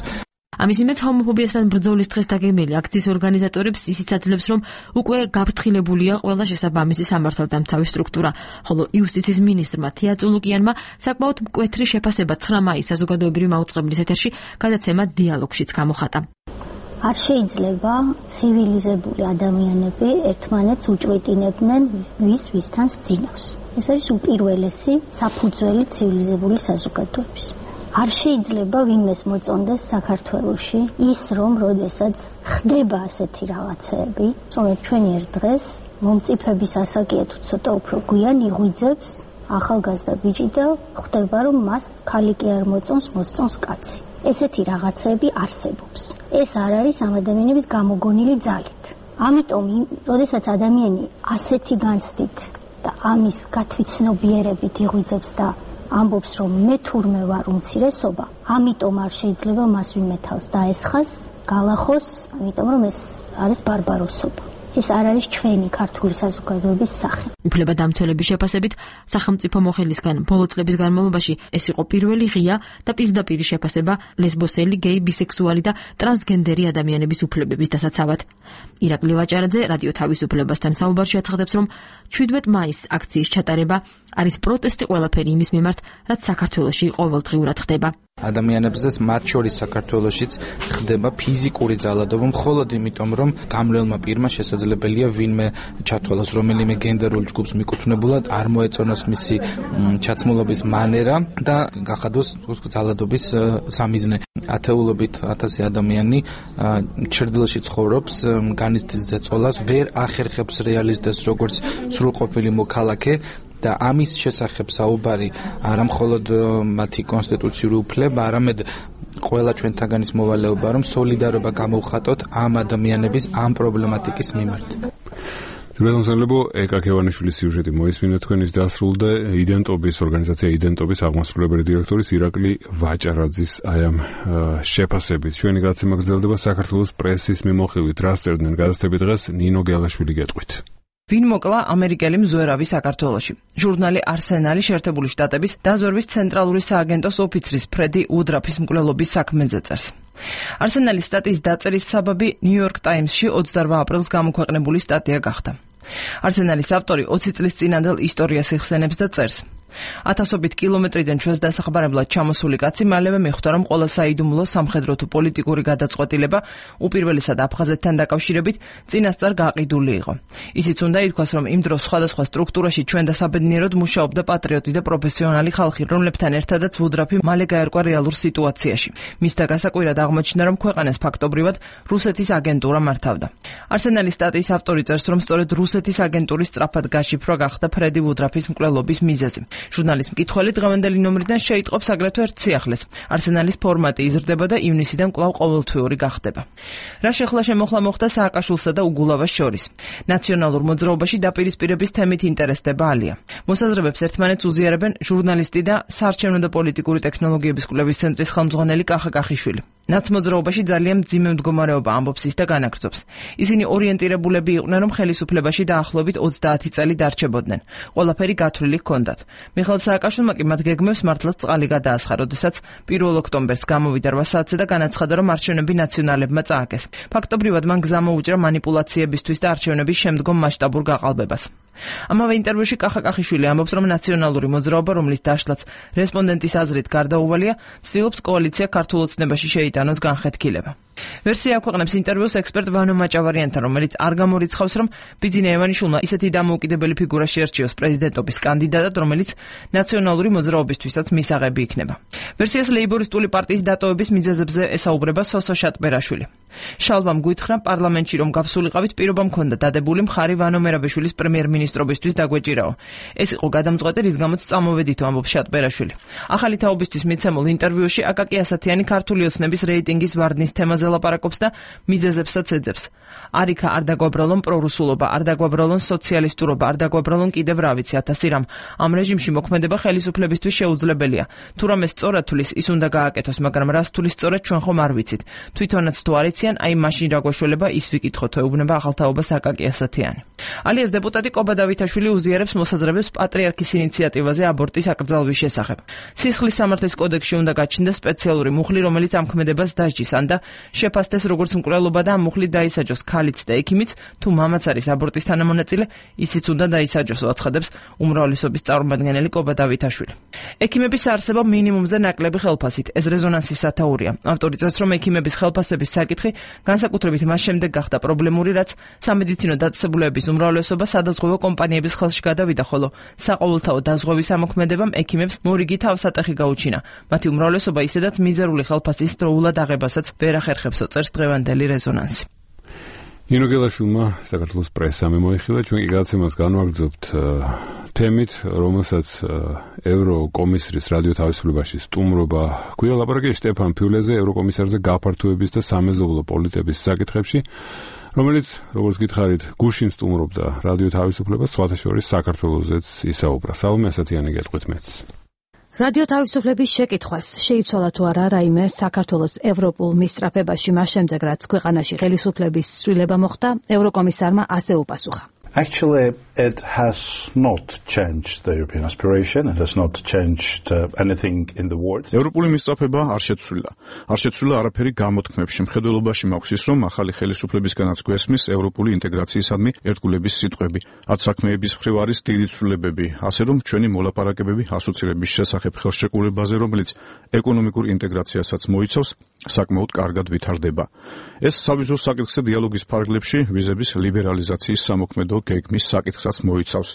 ამის იმედს ჰომოფობიასთან ბრძოლის დღეს დაგეგმილი აქციის ორგანიზატორებს ისიც აძლევს, რომ უკვე გაფრთხილებულია ყველა შესაბამისი სამართალდამცავი სტრუქტურა, ხოლო იუსტიციის მინისტრმა თეა წულუკიანმა საკმაოდ მკვეთრი შეფასება ცხრა მაისს საზოგადოებრივი მაუწყებლის ეთერში გადაცემა დიალოგშიც გამოხატა. არ შეიძლება ცივილიზებული ადამიანები ერთმანეთს უჭვეტინებდნენ ვის ვისთან სძინავს. ეს არის უპირველესი საფუძველი ცივილიზებული საზოგადოების. არ შეიძლება ვინმეს მოწონდეს საქართველოში ის, რომ როდესაც ხდება ასეთი რაღაცეები, რომ ჩვენი ერთ დღეს მომწიფების ასაკია თუ ცოტა უფრო გვიან იღვიძებს ახალგაზრდა ბიჭი და ხვდება, რომ მას ქალი კი არ მოწონს, მოსწონს კაცი. ესეთი რაღაცეები არსებობს. ეს არ არის ამ ადამიანების გამოგონილი ძალით. ამიტომ, როდესაც ადამიანი ასეთი განცდით და ამის გათვითცნობიერებით იღვიძებს და ამბობს, რომ მე თურმე ვარ უმცირესობა, ამიტომ არ შეიძლება მას ვინმე თავს დაესხას, გალახოს, ამიტომ რომ ეს არის ბარბაროსობა. ეს არ არის ჩვენი ქართული საზოგადოების სახე. უფლებადამცველების შეფასებით, სახელმწიფო მოხელისგან ბოლო წლების განმავლობაში ეს იყო პირველი ღია და პირდაპირი შეფასება ლესბოსელი, გეი, ბისექსუალი და ტრანსგენდერი ადამიანების უფლებების დასაცავად. ირაკლი ვაჭარაძე რადიო თავისუფლებასთან საუბარში აცხადებს, რომ შვიდმეტ მაისს აქციის ჩატარება არის პროტესტი ყველაფერი იმის მიმართ, რაც საქართველოში ყოველდღიურად ხდება. ადამიანებზე მათ შორის საქართველოშიც ხდება ფიზიკური ძალადობა მხოლოდ იმიტომ, რომ გამლელმა პირმა შესაძლებელია ვინმე ჩათვალოს რომელიმე გენდერულ ჯგუფს მიკუთვნებულად არ მოეწონოს მისი ჩაცმულობის მანერა და გახადოს ძალადობის სამიზნე. ათეულობით ათასი ადამიანი ჩრდილოში ცხოვრობს, განიცდის ზეწოლას, ვერ ახერხებს რეალისტებს როგორც სრულყოფილი მოქალაქე და ამის შესახებ საუბარი არა მხოლოდ მათი კონსტიტუციური უფლება, არამედ ყველა ჩვენთაგანის მოვალეობა, რომ სოლიდარობა გამოვხატოთ ამ ადამიანების ამ პრობლემატიკის მიმართ. თბილისელებო ეკაკევანიშვილის სიუჟეტი მოისმინეთ თქვენის დასრულდა იდენტობის ორგანიზაცია იდენტობის აღმასრულებელი დირექტორის ირაკლი ვაჭარაძის აი ამ შეფასებით. ჩვენი გადაცემა გრძელდება საქართველოს პრესის მიმოხილვით. რას წერდნენ გადაცემით დღეს ნინო გელაშვილი გეტყვით. ვინ მოკლა ამერიკელი მზვერავი საქართველოში? ჟურნალი არსენალი შეერთებული შტატების დაზვერვის ცენტრალური სააგენტოს ოფიცრის ფრედი უდრაფის მკვლელობის საქმეზე წერს. არსენალის სტატიის დაწერის საბაბი ნიუ-იორკ ტაიმსში ოცდაორ აპრილს გამოქვეყნებული სტატია გახდა. არსენალის ავტორი ოცი წლის წინანდელ ისტორიას იხსენებს და წერს. ათასობით კილომეტრიდან ჩვენს დასახმარებლად ჩამოსული კაცი მალევე მიხვდა, რომ ყველა საიდუმლო სამხედრო თუ პოლიტიკური გადაწყვეტილება უპირველესად აფხაზეთთან დაკავშირებით წინასწარ გაყიდული იყო. ისიც უნდა ითქვას, რომ იმ დროს სხვადასხვა სტრუქტურაში ჩვენ და საბედნიეროდ მუშაობდა პატრიოტი და პროფესიონალი ხალხი, რომლებთან ერთადაც უდრაფი მალე გაერკვა რეალურ სიტუაციაში. მისთა გასაკვირად აღმოჩნდა, რომ ქვეყანას ფაქტობრივად რუსეთის აგენტურა მართავდა. არსენალის სტატიის ავტორი წერს, რომ სწორედ რუსეთის აგენტურის სწრაფად გაშიფრვა გახდა ფრედი უდრაფის მკვლელობის მიზეზი. ჟურნალის მკითხველი დღევანდელი ნომრიდან შეიტყობს აგრეთვე ერთ სიახლეს. არსენალის ფორმატი იზრდება და ივნისიდან კვლავ ყოველთვიური გახდება. რა შეხლა შემოხლა მოხდა სააკაშვილსა და უგულავას შორის? ნაციონალურ მოძრაობაში დაპირისპირების თემით ინტერესდება ალია. მოსაზრებებს ერთმანეთს უზიარებენ ჟურნალისტი და საარჩევნო და პოლიტიკური ტექნოლოგიების კვლევის ცენტრის ხელმძღვანელი კახა კახიშვილი. ნაცმოძრაობაში ძალიან მძიმე მდგომარეობა ამბობს ის და განაგრძობს. ისინი ორიენტირებულები იყვნენ, რომ ხელისუფლებაში დაახლოებით ოცდაათი წელი დარჩებოდნენ. ყველაფერი გათვლილი ჰქონდათ. მიხეილ სააკაშვილმა კი მათ გეგმებს მართლაც წყალი გადაასხა, როდესაც პირველ ოქტომბერს გამოვიდა რვა საათზე და განაცხადა, რომ არჩევნები ნაციონალებმა წააგეს. ფაქტობრივად მან გზა მოუჭრა манипуляციებისთვის და არჩევნების შემდგომ მასშტაბურ გაყალბებას. ამავე ინტერვიუში კახა კახიშვილი ამბობს, რომ ნაციონალური მოძრაობა, რომლის დაშლაც რესპონდენტის აზრით გარდაუვალია, ცდილობს კოალიცია ქართულ ოცნებაში შეიტანოს განხეთქილება. ვერსია აქვეყნებს ინტერვიუს ექსპერტ ვანო მაჭავარიანთან, რომელიც არ გამორიცხავს, რომ ბიძინა ევანიშვილმა ისეთი დამოუკიდებელი ფიგურა შეერჩიოს პრეზიდენტობის კანდიდატად, რომელიც ნაციონალური მოძრაობისთვისაც მისაღები იქნება. ვერსიას ლეიბორისტული პარტიის დატოვების მიზეზებზე ესაუბრება სოსო შატბერაშვილი. შალვამ გვითხრა პარლამენტში, რომ გავსულიყავით, პირობა მქონდა დადებული მხარი ვანო მერაბიშვილის პრემიერ-მინისტრობისთვის დაგვეჭირაო. ეს იყო გადამწყვეტი, რის გამოც წამოვედითო, ამბობს შატბერაშვილი. ახალი თაობისთვის მიცემულ ინტერვიუში აკაკი ასათიანი ქართული ოცნების რეიტინგის ვარდნის თემაზე ლაპარაკობს და მიზეზებსაც ეძებს. არიქა არ დაგვაბრალონ პრორუსულობა, არ დაგვაბრალონ სოციალისტურობა, არ დაგვაბრალონ კიდევ რა ვიცი ათასი რამ. ამ რეჟიმში მოქმედება ხელისუფლებისთვის შეუძლებელია. თუ რამე სწორად თulis, ის უნდა გააკეთოს, მაგრამ რას თulis სწორად ჩვენ ხომ არ ვიცით. თვითონაც თუ არ იციან, აი მაშინ რა გვაშველება ის ვიკითხოთ, ეუბნება ახალთაობას აკაკი ასათიანი. ალიას დეპუტატი კობა დავითაშვილი უზიარებს მოსაზრებებს პატრიარქის ინიციატივაზე აბორტის აკრძალვის შესახებ. სისხლის სამართლის კოდექსში უნდა გაჩნდეს სპეციალური მუხლი, რომელიც ამ ქმედებას დასჯის, ან და შეფასდეს როგორც მკვლელობა და ამ მუხლით დაისაჯოს ქალიც და ექიმიც, თუ მამაც არის აბორტის თანამონაწილე, ისიც უნდა დაისაჯოს, აცხადებს უმრავლესობის წარმომადგენელი კობა დავითაშვილი. ექიმების არსება მინიმუმზე ნაკლები ხელფასით, ეს რეზონანსის სათაურია. ავტორი წერს, რომ ექიმების ხელფასების საკითხი განსაკუთრებით მას შემდეგ გახდა პრობლემური, რაც სამედიცინო დაწესებულებების უმრავლესობა სადაზღვევო კომპანიების ხელში გადავიდა, ხოლო საყოველთაო დაზღვევის ამოქმედებამ ექიმებს მორიგი თავსატეხი გაუჩინა. მათი უმრავლესობა ისედაც მიზერული ხელფასის დროულად აღებასაც ვერ ახერხებსო, წერს დღევანდელი რეზონანსი. ნინო გელაშვილმა საქართველოს პრესამ მოიხილა, ჩვენ კი გადაცემას განვაგრძობთ თემით, რომელსაც ევროკომისრის რადიო თავისუფლებაში სტუმრობა ჰქვია, ლაპარაკია შტეფან ფიულეზე, ევროკომისარზე გაფართოების და სამეზობლო პოლიტიკის საკითხებში, რომელიც, როგორც გითხარით, გუშინ სტუმრობდა რადიო თავისუფლებას, სხვათა შორის საქართველოსაც ისაუბრა. სალომე ასათიანი გეტყვით მეც. რადიო თავისუფლების შეკითხვას შეიცვალა თუ არა რაიმე საქართველოს ევროპულ მისწრაფებაში მას შემდეგ რაც ქვეყანაში ხელისუფლების ცვლილება მოხდა, ევროკომისარმა ასე უპასუხა. Actually, it has not changed the European aspiration. It has not changed uh, anything in the words. ევროპული მისწრაფება არ შეცვლილა. არ შეცვლილა არაფერი გამოთქმებში. მხედველობაში მაქვს ის, რომ ახალი ხელისუფლებისგანაც გვესმის ევროპული ინტეგრაციისადმი ერთგულების სიტყვები. ათ საქმეების მხრივ არის დიდი ცვლილებები, ასე რომ ჩვენი მოლაპარაკებები ასოცირების შესახებ ხელშეკრულებაზე, რომელიც ეკონომიკურ ინტეგრაციასაც მოიცავს, საკმაოდ კარგად ვითარდება. ეს საბიზნესო საკითხზე დიალოგის ფარგლებში ვიზების ლიბერალიზაციის სამოქმედო გეგმის საკითხსაც მოიცავს.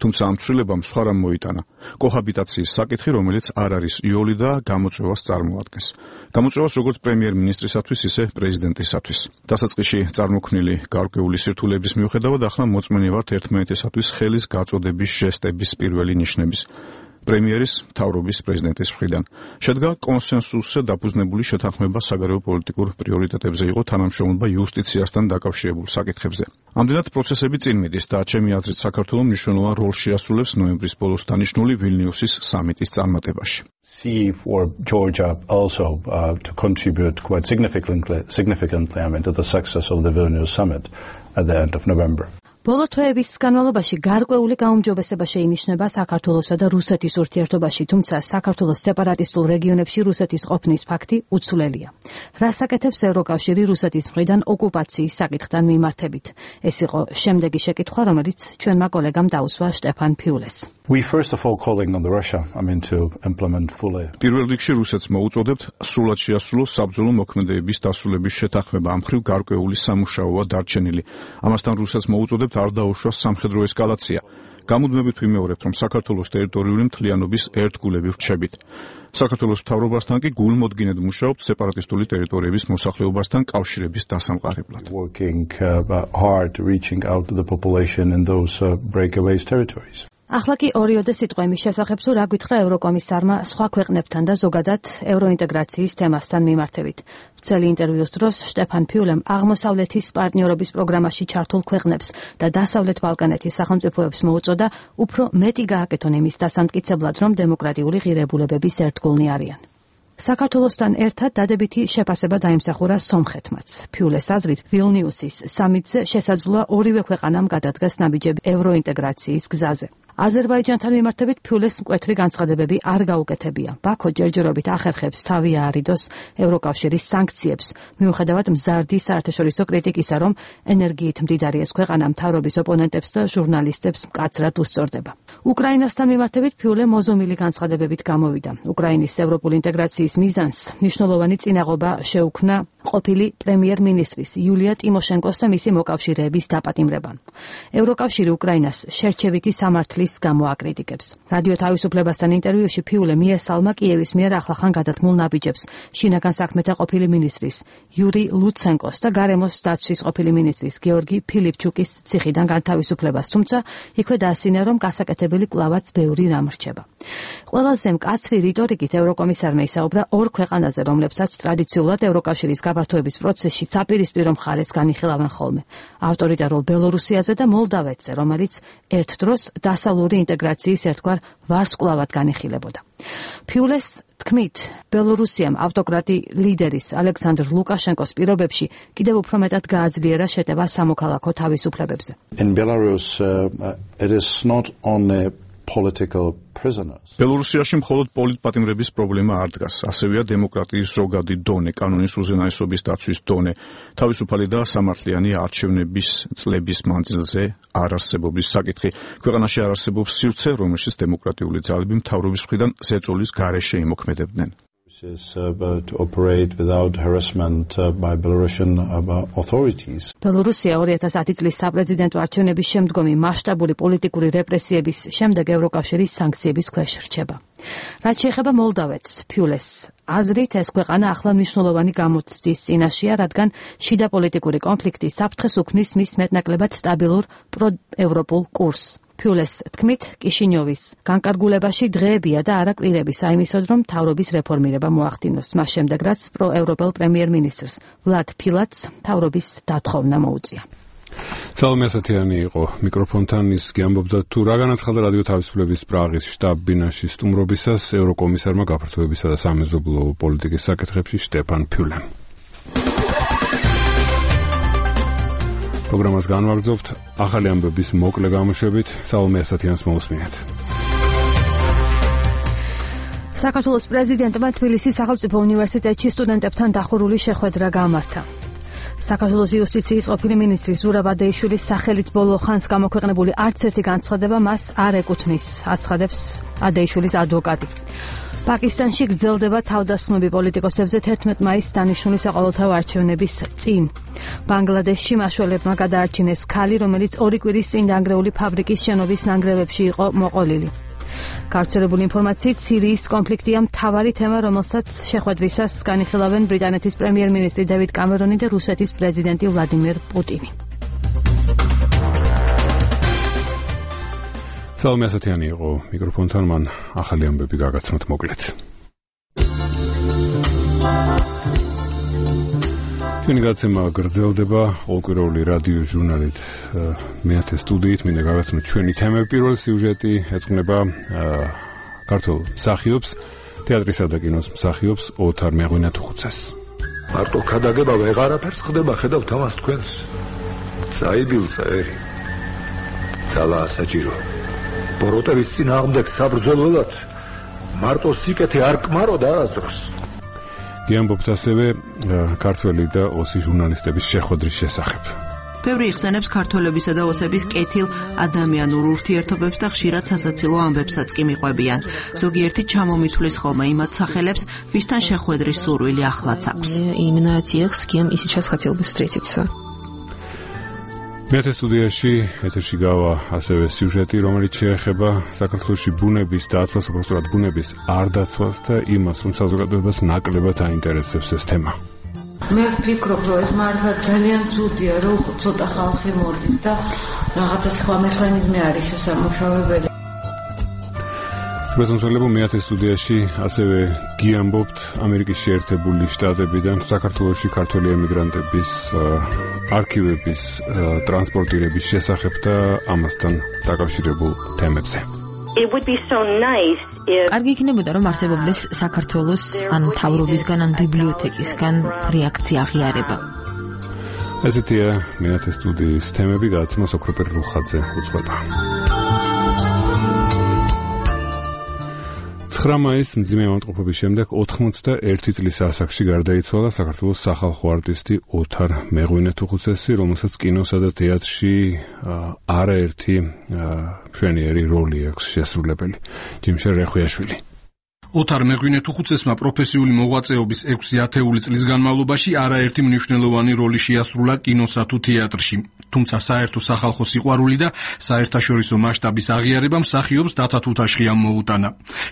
თუმცა ამ ცვლილებამ სხვა რამ მოიტანა. კოჰაბიტაციის საკითხი, რომელიც არ არის იოლი და გამოწვევას წარმოადგენს. გამოწვევას როგორც პრემიერ-მინისტრისათვის, ისე პრეზიდენტისათვის. დასაწყისში წარმოქმნილი გარკვეული სირთულეების მიუხედავად, ახლა მოწმენი ვართ ერთმანეთისათვის ხელის გაწოდების ჟესტების პირველი ნიშნების. პრემიერის, მთავრობის, პრეზიდენტის მხრიდან. შედგა კონსენსუსზე დაფუძნებული შეთანხმება საგარეო პოლიტიკურ პრიორიტეტებზე, იყო თანამშრომლობა იუსტიციასთან დაკავშირებულ საკითხებზე. ამდენად პროცესები წინ მიდის და ჩემი აზრით საქართველოს მნიშვნელოვან როლს შეასრულებს ნოემბრის ბოლოს დანიშნული ვილნიუსის სამიტის წარმატებაში. See for Georgia also uh, to contribute quite significantly, significantly I mean, to the success of the Vilnius summit at the end of November. ბოლო თვეების განმავლობაში გარკვეული გაუმჯობესება შეინიშნება საქართველოსა და რუსეთის ურთიერთობაში, თუმცა საქართველოს სეპარატისტულ რეგიონებში რუსეთის ყოფნის ფაქტი უცვლელია. რას აკეთებს ევროკავშირი რუსეთის მხრიდან ოკუპაციის საკითხთან მიმართებით? ეს იყო შემდეგი შეკითხვა, რომელიც ჩვენმა კოლეგამ დაუსვა შტეფან ფიულეს. We first of all calling on the Russia, I mean to implement fully. პირველ რიგში რუსეთს მოუწოდებთ სრულად შეასრულოს საბრძოლო მოქმედებების დასრულების შეთანხმება, ამ მხრივ გარკვეული სამუშაოა დარჩენილი. ამასთან რუსეთს მოუწოდებთ არ დაუშვას სამხედრო ესკალაცია. გამუდმებით ვიმეორებთ, რომ საქართველოს ტერიტორიული მთლიანობის ერთგულები ვრჩებით. საქართველოს მთავრობასთან კი გულმოდგინედ მუშაობთ სეპარატისტული ტერიტორიების მოსახლეობასთან კავშირების დასამყარებლად. Working uh, hard reaching out to the population in those uh, breakaways territories. ახლა კი ორიოდე სიტყვა იმის შესახებ, თუ რა გითხრა ევროკომისარმა სხვა ქვეყნებთან და ზოგადად ევროინტეგრაციის თემასთან მიმართებით. ვრცელი ინტერვიუს დროს შტეფან ფიულემ აღმოსავლეთის პარტნიორობის პროგრამაში ჩართულ ქვეყნებს და დასავლეთ ბალკანეთის სახელმწიფოებს მოუწოდა უფრო მეტი გააკეთონ იმის დასამტკიცებლად, რომ დემოკრატიული ღირებულებების ერთგულნი არიან. საქართველოსთან ერთად დადებითი შეფასება დაიმსახურა სომხეთმაც. ფიულეს აზრით, ვილნიუსის სამიტზე შესაძლოა ორივე ქვეყანამ გადადგას ნაბიჯები ევროინტეგრაციის გზაზე. აზერბაიჯანთან მიმართებით ფიულეს მკვეთრი განცხადებები არ გაუკეთებია. ბაქო ჯერჯერობით ახერხებს თავი აარიდოს ევროკავშირის სანქციებს, მიუხედავად მზარდი საერთაშორისო კრიტიკისა, რომ ენერგიით მდიდარი ეს ქვეყანა მთავრობის ოპონენტებს და ჟურნალისტებს მკაცრად უსწორდება. უკრაინასთან მიმართებით ფიულე მოზომილი განცხადებებით გამოვიდა. უკრაინის ევროპული ინტეგრაციის მიზანს მნიშვნელოვანი წინაღობა შეუქმნა ყოფილი პრემიერ-მინისტრის იულია ტიმოშენკოს და მისი მოკავშირეების დაპატიმრებამ. ევროკავშირი უკრაინას შერჩევითი სამართლის გამო აკრიტიკებს. რადიო თავისუფლებასთან ინტერვიუში ფიულე მიესალმა კიევის მიერ ახლახან გადადგმულ ნაბიჯებს შინაგან საქმეთა ყოფილი მინისტრის იური ლუცენკოს და გარემოს დაცვის ყოფილი მინისტრის გეორგი ფილიპჩუკის ციხიდან განთავისუფლებას, თუმცა იქვე დაასინა, რომ გასაკეთებელი კვლავაც ბევრი რამ რჩება. ყველაზე მკაცრი რიტორიკით ევროკომისარმა ისაუბრა ორ ქვეყანაზე, რომლებსაც ტრადიციულად ევროკავშირის გაფართოების პროცესში საპირისპირო მხარეს განიხილავენ ხოლმე. ავტორიტარულ ბელორუსიაზე და მოლდავეთზე, რომელიც ერთ დროს დასავლური ინტეგრაციის ერთგვარ ვარსკვლავად განიხილებოდა. ფიულეს თქმით, ბელორუსიამ ავტოკრატი ლიდერის ალექსანდრ ლუკაშენკოს პირობებში კიდევ უფრო მეტად გააძლიერა შეტევა სამოქალაქო თავისუფლებებზე. In Belarus, uh, it is not only political prisoners. ბელორუსიაში მხოლოდ პოლიტპატიმრების პრობლემა არ დგას, ასევეა დემოკრატიის ზოგადი დონე, კანონის უზენაესობის დაცვის დონე, თავისუფალი და სამართლიანი არჩევნების წლების მანძილზე არარსებობის საკითხი. ქვეყანაში არ არსებობს სივრცე, რომელშიც დემოკრატიული ძალები მთავრობის მხრიდან ზეწოლის გარეშე იმოქმედებდნენ. Is uh, to operate without harassment uh, by Belarusian uh, authorities. ბელორუსია ორი ათას ათი წლის საპრეზიდენტო არჩევნების შემდგომი მასშტაბური პოლიტიკური რეპრესიების შემდეგ ევროკავშირის სანქციების ქვეშ რჩება. რაც შეეხება მოლდავეთს, ფიულეს აზრით ეს ქვეყანა ახლა მნიშვნელოვანი გამოცდის წინაშეა, რადგან შიდა პოლიტიკური კონფლიქტი საფრთხეს უქმნის მის მეტნაკლებად სტაბილურ პროევროპულ კურსს. ფიულეს თქმით, კიშინიოვის განკარგულებაში დღეებია და არა კვირები საიმისოდ, რომ მთავრობის რეფორმირება მოახდინოს, მას შემდეგ რაც პროევროპელ პრემიერ-მინისტრს ვლად ფილატს მთავრობის დათხოვნა მოუწია. სალომე ასათიანი იყო მიკროფონთან, ის გიამბობდა თუ რა განაცხადა რადიო თავისუფლების პრაღის შტაბ-ბინაში სტუმრობისას ევროკომისარმა გაფართოებისა და სამეზობლო პოლიტიკის საკითხებში შტეფან ფიულემ. პროგრამას განვაგრძობთ ახალი ამბების მოკლე გამოშვებით, სალომე ასათიანს მოусმინეთ. საქართველოს პრეზიდენტმა თბილისის სახელმწიფო უნივერსიტეტში სტუდენტებთან დახურული შეხვედრა გამართა. საქართველოს იუსტიციის ყოფილი მინისტრის ზურაბ ადეიშვილის სახელით ბოლო ხანს გამოქვეყნებული არც ერთი განცხადება მას არ ეკუთვნის, აცხადებს ადეიშვილის ადვოკატი. პაკისტანში გრძელდება თავდასხმები პოლიტიკოსებზე თერთმეტ მაისს დანიშნული საყოველთაო არჩევნების წინ. ბანგლადეშში მაშველებმა გადაარჩინეს ქალი, რომელიც ორი კვირის წინ დანგრეული ფაბრიკის შენობის ნანგრევებში იყო მოყოლილი. გავრცელებული ინფორმაციით სირიის კონფლიქტია მთავარი თემა, რომელსაც შეხვედრისას განიხილავენ ბრიტანეთის პრემიერ-მინისტრი დევიდ კამერონი და რუსეთის პრეზიდენტი ვლადიმერ პუტინი. სალომე ასათიანი იყო მიკროფონთან, მან ახალი ამბები გაგაცნოთ მოკლედ. ჩვენი გაცემა გრძელდება ყოველკვირეული რადიო ჟურნალით მეათე სტუდიით. მინდა გავაცნოთ ჩვენი თემები. პირველი სიუჟეტი ეძღვნება ქართულ მსახიობს, თეატრისა და კინოს მსახიობს ოთარ მეღვინეთუხუცეს. მარტო ქადაგება ვეღარაფერს ხდება, ხედავთ ამას თქვენს. საიდილ წერი. ძალაა საჭირო. ბოროტების წინააღმდეგ საბრძოლველად მარტო სიკეთე არ კმარო და არასდროს. გიამბობთ ასევე ქართველი და ოსი ჟურნალისტების შეხვედრის შესახებ. ბევრი იხსენებს ქართველებისა და ოსების კეთილ ადამიანურ ურთიერთობებს და ხშირად სასაცილო ამბებსაც კი მიყვებიან. ზოგიერთი ჩამომithulis ხოლმე იმათ სახელებს, ვისთან შეხვედრის სურვილი ახლაც აქვს. Именно тех, с кем и сейчас хотел бы встретиться. მეათე სტუდიაში ეთერში გავა ასევე სიუჟეტი, რომელიც შეეხება საქართველოში ბუნების დაცვას, უბრალოდ ბუნების არ დაცვას და იმას, რომ საზოგადოებას ნაკლებად აინტერესებს ეს თემა. მე ვფიქრობ, რომ ეს მართლა ძალიან ცუდია, რომ ცოტა ხალხი მოდის და რაღაცა სხვა მექანიზმი არის შესამუშავებელი. პრეზიდენტელებო მეათე სტუდიაში ასევე გიამბობთ ამერიკის შეერთებული შტატებიდან საქართველოში ქართველი ემიგრანტების არქივების ტრანსპორტირების შესახებ და ამასთან დაკავშირებულ თემებზე. It would be so nice if კარგი იქნებოდა რომ არსებობდეს საქართველოს ან მთავრობისგან ან ბიბლიოთეკისგან რეაქცია აღიარება. ესეთია მეათე სტუდიის თემები, გადაცემას ოქროპერ რუხაძე უძღვება. ცხრა მაისს მძიმე ავადმყოფობის შემდეგ ოთხმოცდაერთი წლის ასაკში გარდაიცვალა საქართველოს სახალხო არტისტი ოთარ მეღვინეთუხუცესი, რომელსაც კინოსა და თეატრში არაერთი მშვენიერი როლი აქვს შესრულებული. ჯიმშე რეხვიაშვილი. ოთარ მეღვინეთუხუცესმა პროფესიული მოღვაწეობის ექვსი ათეული წლის განმავლობაში არაერთი მნიშვნელოვანი როლი შეასრულა კინოსა თუ თეატრში. თუმცა საერთო სახალხო სიყვარული და საერთაშორისო მასშტაბის აღიარება მსახიობს დათა თუთაშხიამ მოუტანა.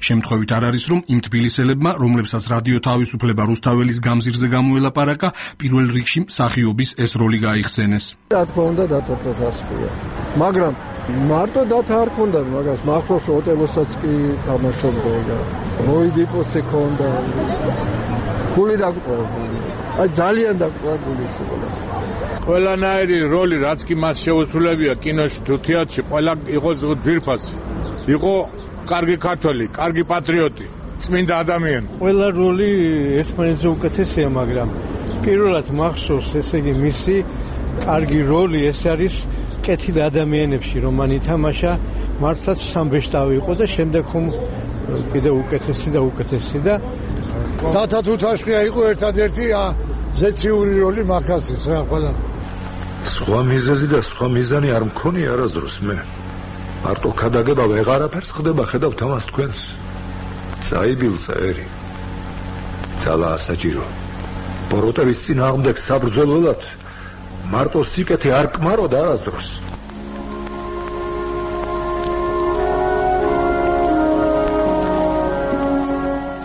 შემთხვევით არ არის, რომ იმ თბილისელებმა, რომლებსაც რადიო თავისუფლება რუსთაველის გამზირზე გამოელაპარაკა, პირველ რიგში მსახიობის ეს როლი გაიხსენეს. რა თქმა უნდა, დათა თუთაშხია. მაგრამ მარტო დათა არ ქონდა, მაგას მახროს ოტელოსაც კი თამაშობდა და მოიდიპოსი ქონდა. გული დაგვყოლებული. აი ძალიან დაგვყოლებული სულ. ყველანაირი როლი, რაც კი მას შეუსრულებია კინოში თუ თეატრში, ყველა იყო ძვირფასი. იყო კარგი ქართველი, კარგი პატრიოტი, წმინდა ადამიანი. ყველა როლი ერთმანეთზე უკეთესია, მაგრამ პირველად მახსოვს, ესე იგი მისი კარგი როლი ეს არის კეთილ ადამიანებში, რომ მან ითამაშა, მართლაც სამბეშტავი იყო და შემდეგ ხომ კიდე უკეთესი და უკეთესი და დათა თუთაშხია იყო ერთადერთი ზეციური როლი მახასის რა ყველა. სხვა მიზეზი და სხვა მიზანი არ მქონია არასდროს მე. მარტო ქადაგება ვეღარაფერს ხდება, ხედავთ ამას თქვენს. საიდილ წერი. ძალაა საჭირო. ბოროტების წინააღმდეგ საბრძოლველად მარტო სიკეთე არ კმარო და არასდროს.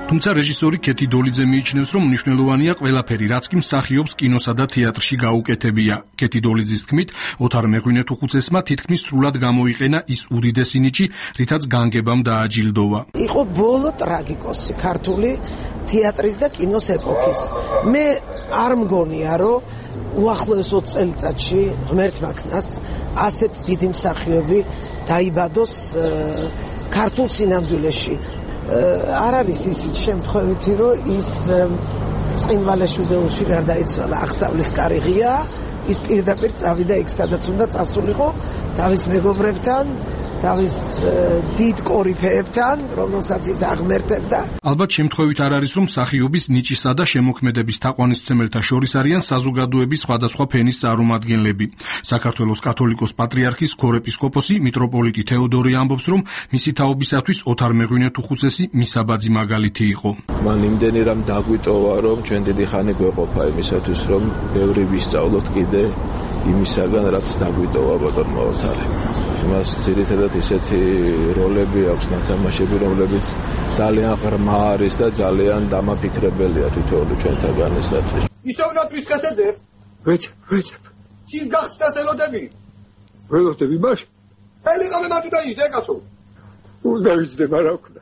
თუმცა რეჟისორი ქეთი დოლიძე მიიჩნევს, რომ მნიშვნელოვანია ყველაფერი, რაც კი მსახიობს კინოსა და თეატრში გაუკეთებია. ქეთი დოლიძის თქმით, ოთარ მეღვინეთუხუცესმა თითქმის სრულად გამოიყენა ის უდიდესი ნიჭი, რითაც განგებამ დააჯილდოვა. იყო ბოლო ტრაგიკოსი ქართული თეატრის და კინოს ეპოქის. მე არ მგონია, რომ უახლოეს ოცი წელიწადში ღმერთმა ქნას ასეთ დიდი მსახიობი დაიბადოს ქართულ სინამდვილეში. არ არის ისიც შემთხვევითი, რომ ის წინვალეშუდეულში გარდაიცვალა, აღსავლის კარი ღია, ის პირდაპირ წავიდა იქ, სადაც უნდა წასულიყო თავის მეგობრებთან, თავის დიდ კორიფეებთან, რომელსაც ის აღმერთებდა. ალბათ შემთხვევით არ არის, რომ მსახიობის ნიჭისა და შემოქმედების თაყვანისმცემელთა შორის არიან საზოგადოების სხვადასხვა ფენის წარმომადგენლები. საქართველოს კათოლიკოს პატრიარქის ქორეპისკოპოსი მიტროპოლიტი თეოდორი ამბობს, რომ მისი თაობისათვის ოთარ მეღვინეთუხუცესი მისაბაძი მაგალითი იყო. მან იმდენი რამ დაგვიტოვა, რომ ჩვენ დიდი ხანი გვეყოფა იმისათვის, რომ ბევრი ვისწავლოთ კიდე იმისაგან, რაც დაგვიტოვა ბატონმა ოთარემ. მას ძირითადად ისეთი როლები აქვს ნათამაშები, რომლებიც ძალიან ღრმა არის და ძალიან დამაფიქრებელია თითოეული ჩვენთაგანისათვის. ისოვნად ვისკასედებ? ვეჭებ, ვეჭებ. შინ გახსნას ელოდები? ველოდები მას? ელიყამე მათუდა ის ეკაცო. უნდა ვიძდებ არა ვქნა.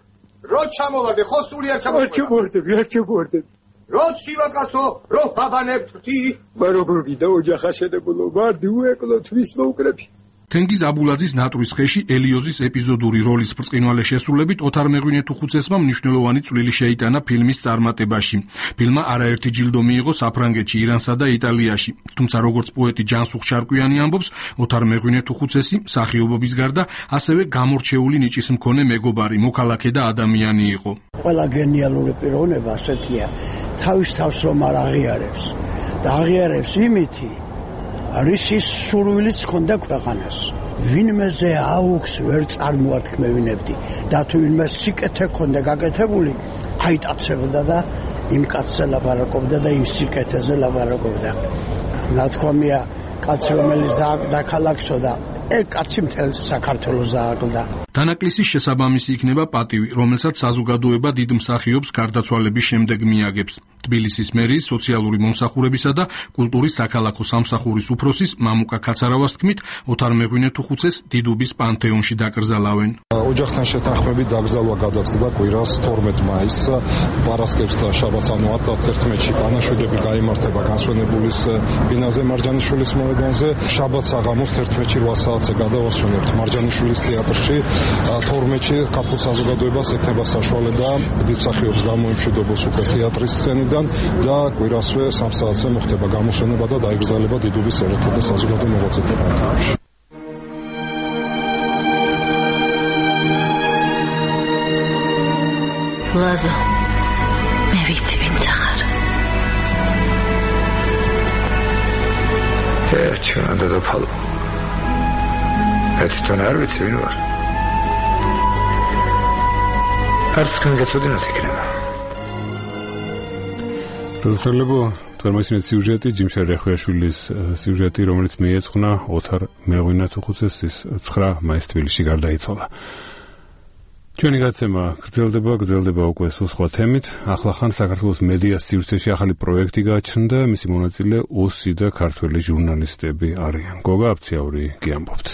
რო ჩამოვარდე, ხო სული არ ჩამოვარდე. არ ჩამოვარდები, არ ჩამოვარდები. რო ცივა კაცო, რო ბაბანებთ თი. მე როგორ გიდა ოჯახა შედებულო, ვარდი უეკლო თვის მოუკრები. თენგიზ აბულაძის ნატურის ხეში ელიოზის ეპიზოდური როლის ბრწყინვალე შესრულებით ოთარ მეღვინეთუხუცესმა მნიშვნელოვანი წვლილი შეიტანა ფილმის წარმატებაში. ფილმმა არაერთი ჯილდო მიიღო საფრანგეთში, ირანსა და იტალიაში. თუმცა როგორც პოეტი ჯანსუღ შარკვიანი ამბობს, ოთარ მეღვინეთუხუცესი მსახიობობის გარდა ასევე გამორჩეული ნიჭის მქონე მეგობარი, მოქალაქე და ადამიანი იყო. ყველა გენიალური პიროვნება ასეთია, თავის თავს რომ არ აღიარებს და აღიარებს იმითი არის ის სურვილიც ჰქონდა ქვეყანას. ვინმეზე აუქს ვერ წარმოათქმევინებდი და თუ ვინმე სიკეთე ჰქონდა გაკეთებული, აიტაცებდა და იმ კაცზე ლაპარაკობდა და იმ სიკეთეზე ლაპარაკობდა. ნათქვამია, კაცი რომელიც დააკვდა ქალაქსო და ე კაცი მთელ საქართველოს დააკვდა. დანაკლისის შესაბამისი იქნება პატივი, რომელსაც საზოგადოება დიდ მსახიობს გარდაცვალების შემდეგ მიაგებს. თბილისის მერიის სოციალური მომსახურებისა და კულტურის საქალაქო სამსახურის უფროსის მამუკა ქაცარავას თქმით, ოთარ მეღვინეთუხუცეს დიდუბის პანთეონში დაკრძალავენ. ოჯახთან შეთანხმებით დაკრძალვა გადაწყდა კვირას თორმეტ მაისს, პარასკევს და შაბათს, ანუ ათერთმეტში განაშვიდები გაიმართება განსვენებულის ბინაზე მარჯანიშვილის მოედანზე. შაბათს აღამოს თერთმეტში რვა საათზე გადავასვენებთ მარჯანიშვილის თეატრში. თორმეტში ქართულ საზოგადოებას ექნება საშუალება დიდ მსახიობს გამოიმშვიდობოს უკვე თეატრის სცენიდან და კვირასვე სამ საათზე მოხდება გამოსვენება და დაიგრძელება დიდუბის ერეთა და საზოგადო მოღვაწეთა პანთეონში. ლაზა, მე ვიცი ვინც ახარ. ერთიან დედოფალო. ერთთან არ ვიცი ვინ ვარ. არც თქვენ გეცოდინოთ იქნება. როდესაც თორმეტი სიუჟეტი ჯიმშარ რეხვიაშვილის სიუჟეტი, რომელიც მიეძღვნა ოთარ მეღვინეთუხუცესის ცხრა მაისს თბილისში გარდაიცვალა. ჩვენი გაცემა გრძელდება, გრძელდება უკვე სულ სხვა თემით. ახლახან საქართველოს მედიას სივრცეში ახალი პროექტი გააჩნდა, მისი მონაწილე ოსი და ქართველი ჟურნალისტები არიან. გოგა აფციაური გიამბობთ.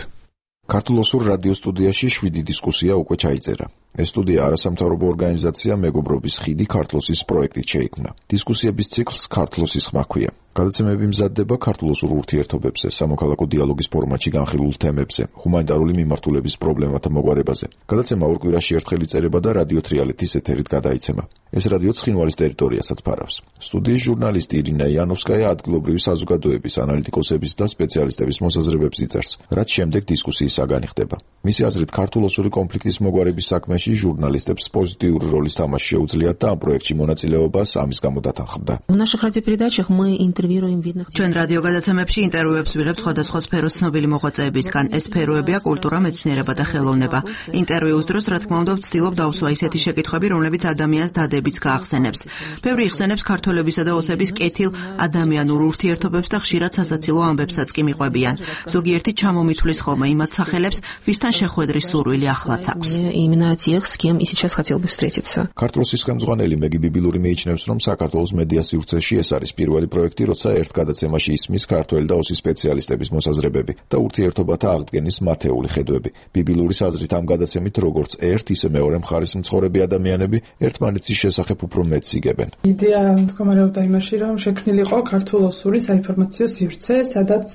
ქართულოსურ რადიო სტუდიაში შვიდი დისკუსია უკვე ჩაიწერა. ეს სტუდია არასამთავრობო ორგანიზაცია მეგობრობის ხიდი ქართლოსის პროექტით შეიქმნა. დისკუსიების ციკლს ქართლოსის ხმა ჰქვია. გადაცემები მზადდება ქართულოსურ ურთიერთობებზე, სამოქალაქო დიალოგის ფორმატში განხილულ თემებზე, ჰუმანიტარული მიმართულების პრობლემათა მოგვარებაზე. გადაცემა ორ კვირაში ერთხელ იწერება და რადიო თრიალეთის ეთერით გადაიცემა. ეს რადიო ცხინვალის ტერიტორიასაც ფარავს. სტუდიის ჟურნალისტი ირინა იანოვსკაია ადგილობრივი საზოგადოების, ანალიტიკოსების და სპეციალისტების მოსაზრებებს იწერს, რაც შემდეგ დისკუსიის საგანი ხდება. მისი აზრით, ქართულოსური კონფლიქტის მოგვარების საქმეში ჟურნალისტებს პოზიტიური როლის თამაში შეუძლიათ და ამ პროექტში მონაწილეობას ამის გამო დათანხმდა. В наших радиопередачах мы интервьюируем видных. ჩვენ რადიო გადაცემებში ინტერვიუებს ვიღებთ სხვადასხვა სფეროს ცნობილი მოღვაწეებისგან. ეს სფეროებია კულტურა, მეცნიერება და ხელოვნება. ინტერვიუს დროს, რა თქმა უნდა, ვცდილობ დავსვა ისეთი შეკითხვები, რომლებიც ადამიანს დადებიც გაახსენებს. ბევრი იხსენებს ქართველებისა და ოსების კეთილ ადამიანურ ურთიერთობებს და ხშირად სასაცილო ამბებსაც კი მიყვებიან. ზოგიერთი ჩამომითვლის ხოლმე იმათ სახელებს, ვისთან შეხვედრის სურვილი ახლაც აქვს. Именно те тех, с кем и сейчас хотел бы встретиться. ქართლოსის ხელმძღვანელი მეგი ბიბილური მიიჩნევს, რომ საქართველოს მედია სივრცეში ეს არის პირველი პროექტი, როცა ერთ გადაცემაში ისმის ქართველი და ოსის სპეციალისტების მოსაზრებები და ურთიერთობათა აღდგენის მათეული ხედვები. ბიბილურის აზრით ამ გადაცემით როგორც ერთ, ისე მეორე მხარის მცხოვრები ადამიანები ერთმანეთის შესახებ უფრო მეტს იგებენ. იდეა მდგომარეობდა იმაში, რომ შექმნილიყო ქართულ-ოსური საინფორმაციო სივრცე, სადაც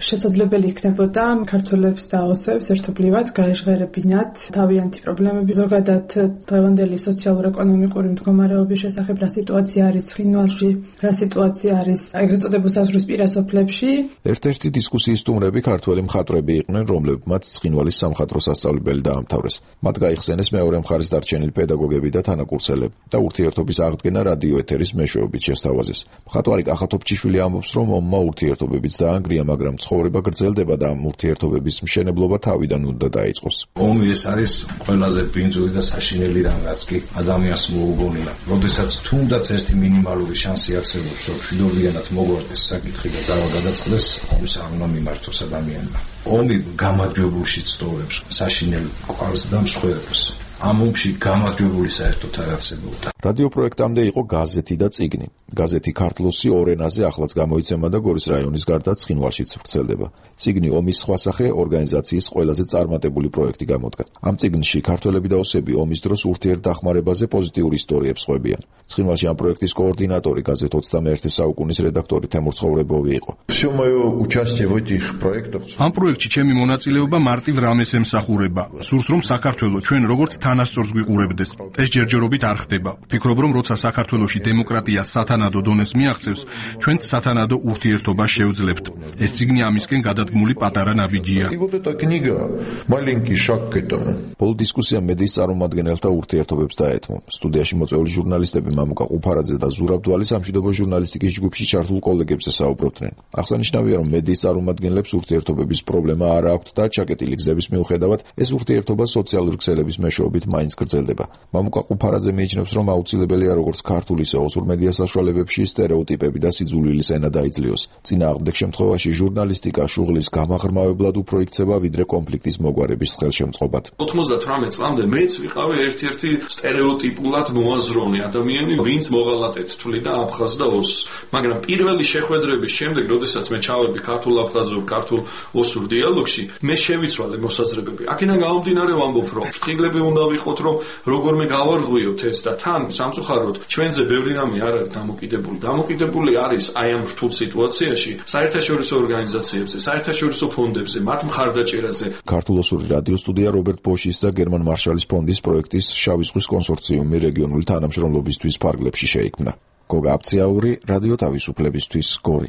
შესაძლებელი იქნებოდა ქართველებს და ოსებს ერთობლივად გაეჟღერებინათ თავიანთი პრობლემები, ზოგადად დღევანდელი სოციალურ-ეკონომიკური მდგომარეობის შესახებ, რა სიტუაცია არის ცხინვალში, რა სიტუაცია არის ეგრეთ წოდებულ საზღვრისპირა სოფლებში. ერთ-ერთი დისკუსიის სტუმრები ქართველი მხატვრები იყვნენ, რომლებმაც ცხინვალის სამხატვრო სასწავლებელი დაამთავრეს. მათ გაიხსენეს მეორე მხარის დარჩენილი პედაგოგები და თანაკურსელები და ურთიერთობის აღდგენა რადიო ეთერის მეშვეობით შესთავაზეს. მხატვარი კახა თოფჩიშვილი ამბობს, რომ ომმა ურთიერთობებიც დაანგრია, მაგრამ ცხოვრება გრძელდება და ამ ურთიერთობების მშენებლობა თავიდან უნდა დაიწყოს. ომი ეს არის ყველაზე ბინძური და საშინელი რამ, რაც კი ადამიანს მოუგონია. როდესაც თუნდაც ერთი მინიმალური შანსი არსებობს, რომ მშვიდობიანად მოგვარდეს საკითხი და დავა გადაწყდეს, ომის არ უნდა მიმართოს ადამიანმა. ომი გამარჯვებულში სწორებს, საშინელ ყვარს და მსხვერპლს. ამ ომში გამარჯვებული საერთოდ არ არსებობდა. რადიო პროექტამდე იყო გაზეთი და წიგნი. გაზეთი ქართლოსი ორ ენაზე ახლაც გამოიცემა და გორის რაიონის გარდა ცხინვალშიც ვრცელდება. წიგნი ომის სხვა სახე ორგანიზაციის ყველაზე წარმატებული პროექტი გამოდგა. ამ წიგნში ქართველები და ოსები ომის დროს ურთიერთდახმარებაზე პოზიტიურ ისტორიებს ხვებიან. ცხინვალში ამ პროექტის координаტორი გაზეთ ოცდამეერთე საუკუნის რედაქტორი თემურ ცხოვრებოვი იყო. Всё моё участие в этих проектах. ამ პროექტში ჩემი მონაწილეობა მარტივ რამეს ემსახურება. სურს რომ საქართველოს ჩვენ როგორც თანასწორს გვიყურებდეს. ეს ჯერჯერობით არ ხდება. ვფიქრობ რომ როცა საქართველოში დემოკრატია სათანადო დონეს მიაღწევს, ჩვენც სათანადო ურთიერთობას შევძლებთ. ეს წიგნი ამისკენ გადადგმული პატარა ნაბიჯია. И вот эта книга маленький шаг к этому. ბოლო დისკუსია მედიის წარმომადგენელთა ურთიერთობებს დაეთმო. სტუდიაში მოწვეული ჟურნალისტები მამუკა ყუფარაძე და ზურაბ დვალი სამშვიდობო ჟურნალისტიკის ჯგუფში ჩართულ კოლეგებზე საუბრობდნენ. აღსანიშნავია, რომ მედიის წარმომადგენლებს ურთიერთობების პრობლემა არ აქვთ და ჩაკეტილი გზების მიუხედავად ეს ურთიერთობა სოციალური ქსელების მეშვეობით მაინც გრძელდება. მამუკა ყუფარაძე მიიჩნევს, რომ აუცილებელია როგორც ქართულ ისე ოსურ მედია საშუალებებში სტერეოტიპები და სიძულვილის ენა დაიძლიოს. წინააღმდეგ შემთხვევაში ჟურნალისტიკა შუღლის გამაღრმავებლად უფრო იქცება, ვიდრე კონფლიქტის მოგვარების ხელშემწყობად. ოცდაოთხმეტ წლამდე მეც ვიყავი ერთ-ერთი სტერეოტიპულად მოაზროვნე ადამიანი, ვინც მოღალატეთ თვლიდა აფხაზ და ოსს. მაგრამ პირველი შეხვედრების შემდეგ, როდესაც მე ჩავედი ქართულ-აფხაზურ, ქართულ-ოსურ დიალოგში, მე შევიცვალე მოსაზრებები. აქედან გამომდინარე ვამბობ, რომ ფრთილები უნდა ვიყოთ, რომ როგორმე გავარღვიოთ ეს და თან სამწუხაროდ ჩვენზე ბევრი რამე არ არის დამოკიდებული. დამოკიდებული არის აი ამ რთულ სიტუაციაში საერთაშორისო ორგანიზაციებზე, საერთაშორისო ფონდებზე, მათ მხარდაჭერაზე. ქართულ-ოსური რადიო სტუდია რობერტ ბოშის და გერმან მარშალის ფონდის პროექტის შავი ზღვის კონსორციუმი რეგიონული თანამშრომლობისთვის ფარგლებში შეიქმნა. გოგა აფციაური, რადიო თავისუფლებისთვის, გორი.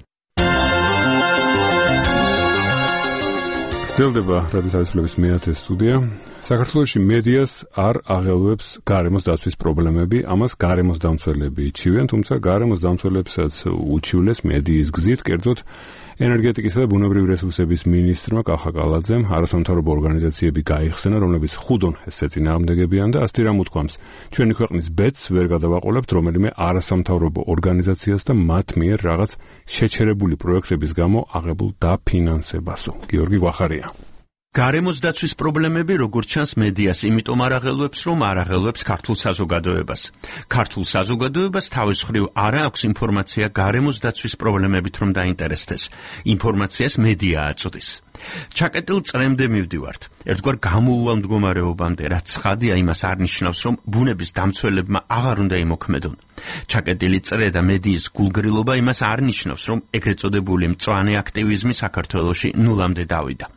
გრძელდება რადიო თავისუფლების მეათე სტუდია. საქართველოში მედიას არ აღელვებს გარემოს დაცვის პრობლემები, ამას გარემოს დამცველები იჩივენ, თუმცა გარემოს დამცველებსაც უჩივლეს მედიის გზით, კერძოდ ენერგეტიკისა და ბუნებრივი რესურსების მინისტრმა კახა კალაძემ არასამთავრობო ორგანიზაციები გაიხსენა, რომლებიც ხუდონ ეს წინააღმდეგებიან და ასეთი რამ უთქვამს. ჩვენი ქვეყნის ბედს ვერ გადავაყოლებთ რომელიმე არასამთავრობო ორგანიზაციას და მათ მიერ რაღაც შეჩერებული პროექტების გამო აღებულ დაფინანსებასო. გიორგი გვახარია. გარემოს დაცვის პრობლემები როგორც ჩანს მედიას იმიტომ არ აღელვებს, რომ არ აღელვებს ქართულ საზოგადოებას. ქართულ საზოგადოებას თავის მხრივ არ აქვს ინფორმაცია გარემოს დაცვის პრობლემებით რომ დაინტერესდეს. ინფორმაციას მედია აწვდის. ჩაკეტილ წრემდე მივდივართ. ერთგვარ გამოუვალ მდგომარეობამდე, რაც ცხადია, იმას არ ნიშნავს, რომ ბუნების დამცველებმა აღარ უნდა იმოქმედონ. ჩაკეტილი წრე და მედიის გულგრილობა იმას არ ნიშნავს, რომ ეგრეთ წოდებული მწვანე აქტივიზმი საქართველოში ნულამდე დავიდა.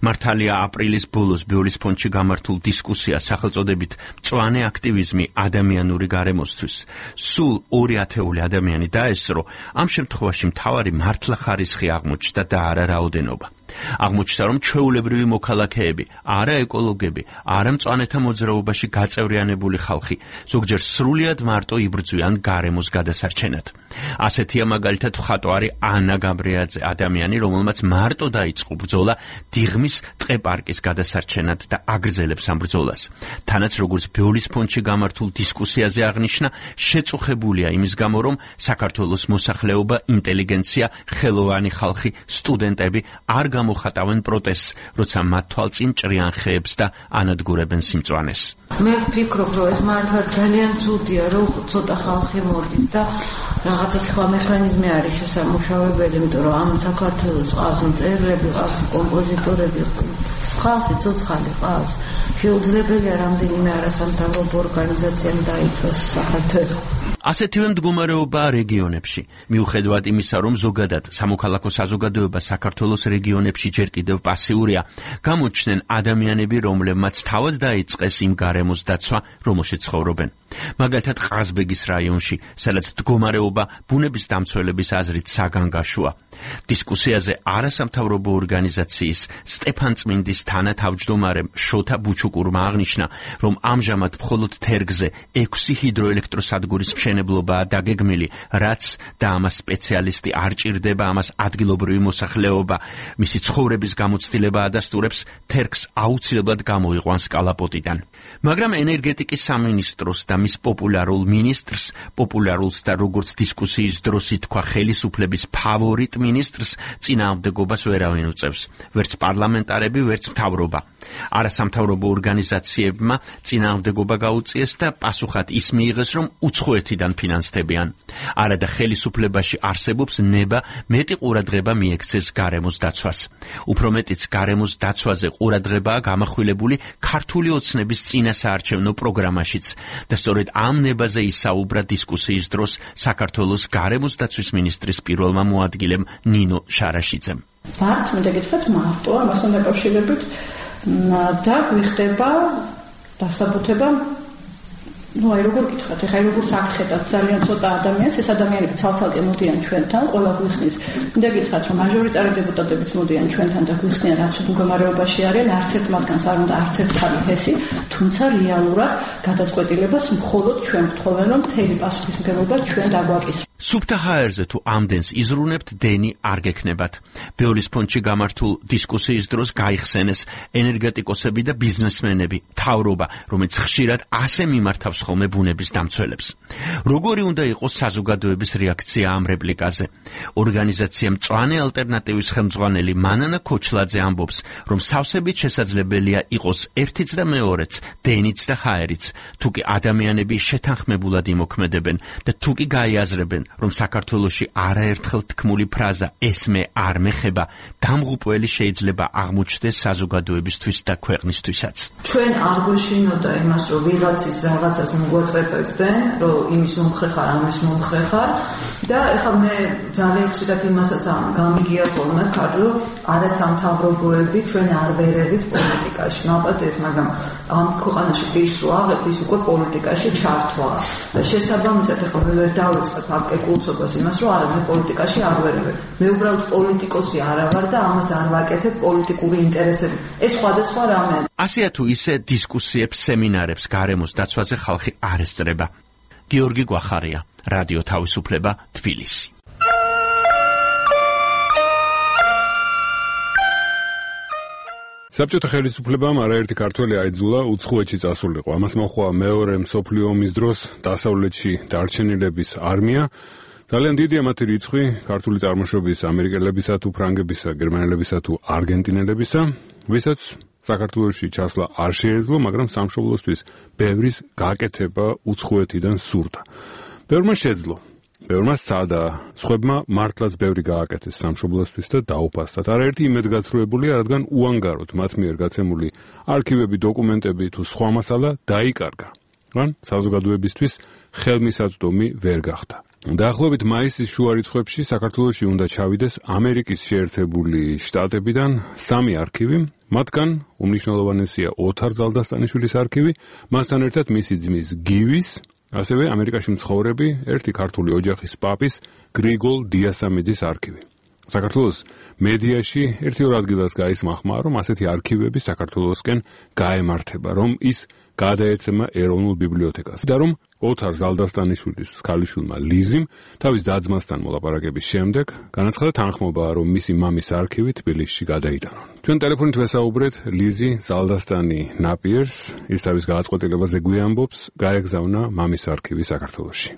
მართალია აპრილის ბოლოს ბიოლის ფონდში გამართულ დისკუსიას სახელწოდებით მწვანე აქტივიზმი ადამიანური გარემოსთვის სულ ორი ათეული ადამიანი დაესწრო, ამ შემთხვევაში მთავარი მართლა ხარისხი აღმოჩნდა და არა რაოდენობა. აღმოჩნდა, რომ ჩვეულებრივი მოქალაქეები, არა ეკოლოგები, არა მწვანეთა მოძრაობაში გაწევრიანებული ხალხი, ზოგჯერ სრულიად მარტო იბრძვიან გარემოს გადასარჩენად. ასეთია მაგალითად მხატვარი ანა გაბრიაძე, ადამიანი, რომელმაც მარტო დაიწყო ბრძოლა დიღმის ტყე-პარკის გადასარჩენად და აგრძელებს ამ ბრძოლას. თანაც როგორც ბიოლის ფონდში გამართულ დისკუსიაზე აღნიშნა, შეწუხებულია იმის გამო, რომ საქართველოს მოსახლეობა, ინტელიგენცია, ხელოვანი ხალხი, სტუდენტები არ გამოხატავენ მოხატავენ პროტესტს, როცა მათ თვალწინ ჭრიან ხეებს და ანადგურებენ სიმწვანეს. მე ვფიქრობ, რომ ეს მართლა ძალიან ცუდია, რომ ცოტა ხალხი მორდის და რაღაცა სხვა მექანიზმი არის შესამუშავებელი, იმიტომ რომ ამ საქართველოს ყავს მწერლები, ყავს კომპოზიტორები, ხალხი ცოცხალი ყავს. შეუძლებელია რამდენიმე არასამთავრობო ორგანიზაციამ დაიცვას საქართველო. ასეთივე მდგომარეობაა რეგიონებში. მიუხედავად იმისა, რომ ზოგადად სამოქალაქო საზოგადოება საქართველოს რეგიონებში ჯერ კიდევ პასიურია, გამოჩნდნენ ადამიანები, რომლებმაც თავად დაიწყეს იმ გარემოს დაცვა, რომელშიც ცხოვრობენ. მაგალითად, ყაზბეგის რაიონში, სადაც მდგომარეობა ბუნების დამცველების აზრით საგანგაშოა. დისკუსიაზე არასამთავრობო ორგანიზაციის სტეფანწმინდის თანათავმჯდომარემ შოთა ბუჩუკურმა აღნიშნა, რომ ამჟამად მხოლოდ თერგზე ექვსი ჰიდროელექტროსადგურის მშენებლობაა დაგეგმილი, რაც და ამას სპეციალისტი არ ჭირდება, ამას ადგილობრივი მოსახლეობა მისი ცხოვრების გამოცდილება ადასტურებს, თერგს აუცილებლად გამოიყვანს კალაპოტიდან. მაგრამ ენერგეტიკის სამინისტროს და მის პოპულარულ მინისტრს, პოპულარულს და როგორც დისკუსიის დროს ითქვა ხელისუფლების ფავორიტ მინისტრს წინააღმდეგობას ვერავინ უწევს, ვერც პარლამენტარები, ვერც მთავრობა. არასამთავრობო ორგანიზაციებმა წინააღმდეგობა გაუწიეს და პასუხად ის მიიღეს, რომ უცხოეთიდან ფინანსდებიან. არადა ხელისუფლებაში არსებობს ნება მეტი ყურადღება მიექცეს გარემოს დაცვას. უფრო მეტიც გარემოს დაცვაზე ყურადღებაა გამახვილებული ქართული ოცნების წინასაარჩევნო პროგრამაშიც და სწორედ ამ ნებაზე ისაუბრა დისკუსიის დროს საქართველოს გარემოს დაცვის მინისტრის პირველმა მოადგილემ ნინო შარაშიძემ. მართ მინდა გითხრათ მარტო ამასთან დაკავშირებით და გვიხდება დასაბუთება ну, აი როგორ გითხრათ, ეხლა როგორც აქ ხედავთ ძალიან ცოტა ადამიანს, ეს ადამიანები ცალ-ცალკე მოდიან ჩვენთან, ყველა გვიხსნის. მინდა გითხრათ, რომ მაჟორიტარი დეპუტატებიც მოდიან ჩვენთან და გვიხსნიან რა მდგომარეობაში არიან, არც ერთ მათგანს არ უნდა არც ერთ ხალი ჰესი, თუმცა რეალურად გადაწყვეტილებას მხოლოდ ჩვენ გვთხოვენ, რომ მთელი პასუხისმგებლობა ჩვენ დაგვაკისროთ. სუფთა ჰაერზე თუ ამდენს იზრუნებთ, დენი არ გექნებათ. ბეოლის ფონდში გამართულ დისკუსიის დროს გაიხსენეს ენერგეტიკოსები და ბიზნესმენები, მთავრობა, რომელიც ხშირად ასე მიმართავს ხოლმე ბუნების დამცველებს. როგორი უნდა იყოს საზოგადოების რეაქცია ამ რეპლიკაზე? ორგანიზაცია მწვანე ალტერნატივის ხელმძღვანელი მანანა ქოჩლაძე ამბობს, რომ სავსებით შესაძლებელია იყოს ერთიც და მეორეც, დენიც და ჰაერიც, თუკი ადამიანები შეთანხმებულად იმოქმედებენ და თუკი გაიაზრებენ, რომ საქართველოში არაერთხელ თქმული ფრაზა ეს მე არ მეხება, დამღუპველი შეიძლება აღმოჩნდეს საზოგადოებისთვის და ქვეყნისთვისაც. ჩვენ არ გვეშინოდა იმას, რომ ვიღაცის რაღაცას მოგვაწეპებდნენ, რომ იმის მომხრე ხარ, ამის მომხრე ხარ და ეხლა მე ძალიან ხშირად იმასაც გამიგია ხოლმე, რომ არასამთავრობოები ჩვენ არ ვერევით პოლიტიკაში. მალპატეთ, მაგრამ ამ ქვეყანაში პირს ვაღებ, ის უკვე პოლიტიკაში ჩართვა. და შესაბამისად ეხლა მე ვერ დავიწყებ აქ კულტობას იმას, რომ არა მე პოლიტიკაში არ ვერევებ. მე უბრალოდ პოლიტიკოსი არა ვარ და ამას არ ვაკეთებ პოლიტიკური ინტერესები. ეს სხვადასხვა რამე. ასეა თუ ისე დისკუსიებს, სემინარებს გარემოს დაცვაზე ხალხი არ ესწრება. გიორგი გვახარია, რადიო თავისუფლება, თბილისი. საბჭოთა ხელისუფლებამ არაერთი ქართველი აიძულა უცხოეთში წასულიყო. ამას მოჰყვა მეორე მსოფლიო ომის დროს დასავლეთში დარჩენილების არმია. ძალიან დიდია მათი რიცხვი, ქართული წარმოშობის ამერიკელებისა თუ ფრანგებისა, გერმანელებისა თუ არგენტინელებისა, ვისაც საქართველოში ჩასვლა არ შეეძლო, მაგრამ სამშობლოსთვის ბევრის გაკეთება უცხოეთიდან სურდა. ბევრმა შეძლო. ბევრმა სცადა, სხვებმა მართლაც ბევრი გააკეთეს სამშობლოსთვის და დაუფასდათ. არაერთი იმედგაცრუებულია, რადგან უანგაროდ მათ მიერ გაცემული არქივები, დოკუმენტები თუ სხვა მასალა დაიკარგა. ან საზოგადოებისთვის ხელმისაწვდომი ვერ გახდა. დაახლოებით მაისის შუა რიცხვებში საქართველოში უნდა ჩავიდეს ამერიკის შეერთებული შტატებიდან სამი არქივი, მათგან უმნიშვნელოვანესია ოთარ ზალდასტანიშვილის არქივი, მასთან ერთად მისი ძმის გივის, ასევე ამერიკაში მცხოვრები ერთი ქართული ოჯახის პაპის გრიგოლ დიასამიძის არქივი. საქართველოს მედიაში ერთი-ორ ადგილას გაისმახმა, რომ ასეთი არქივები საქართველოსკენ გაემართება, რომ ის გადაეცემა ეროვნულ ბიბლიოთეკას და რომ ოთარ ზალდასტანიშვილის ქალიშვილმა ლიზიმ თავის და-ძმასთან მოლაპარაკების შემდეგ განაცხადა თანხმობა, რომ მისი მამის არქივი თბილისში გადაიტანონ. ჩვენ ტელეფონით ვესაუბრეთ ლიზი ზალდასტანი ნაპიერს, ის თავის გააწყვეტილებაზე გვიამბობს, გაეგზავნა მამის არქივი საქართველოში.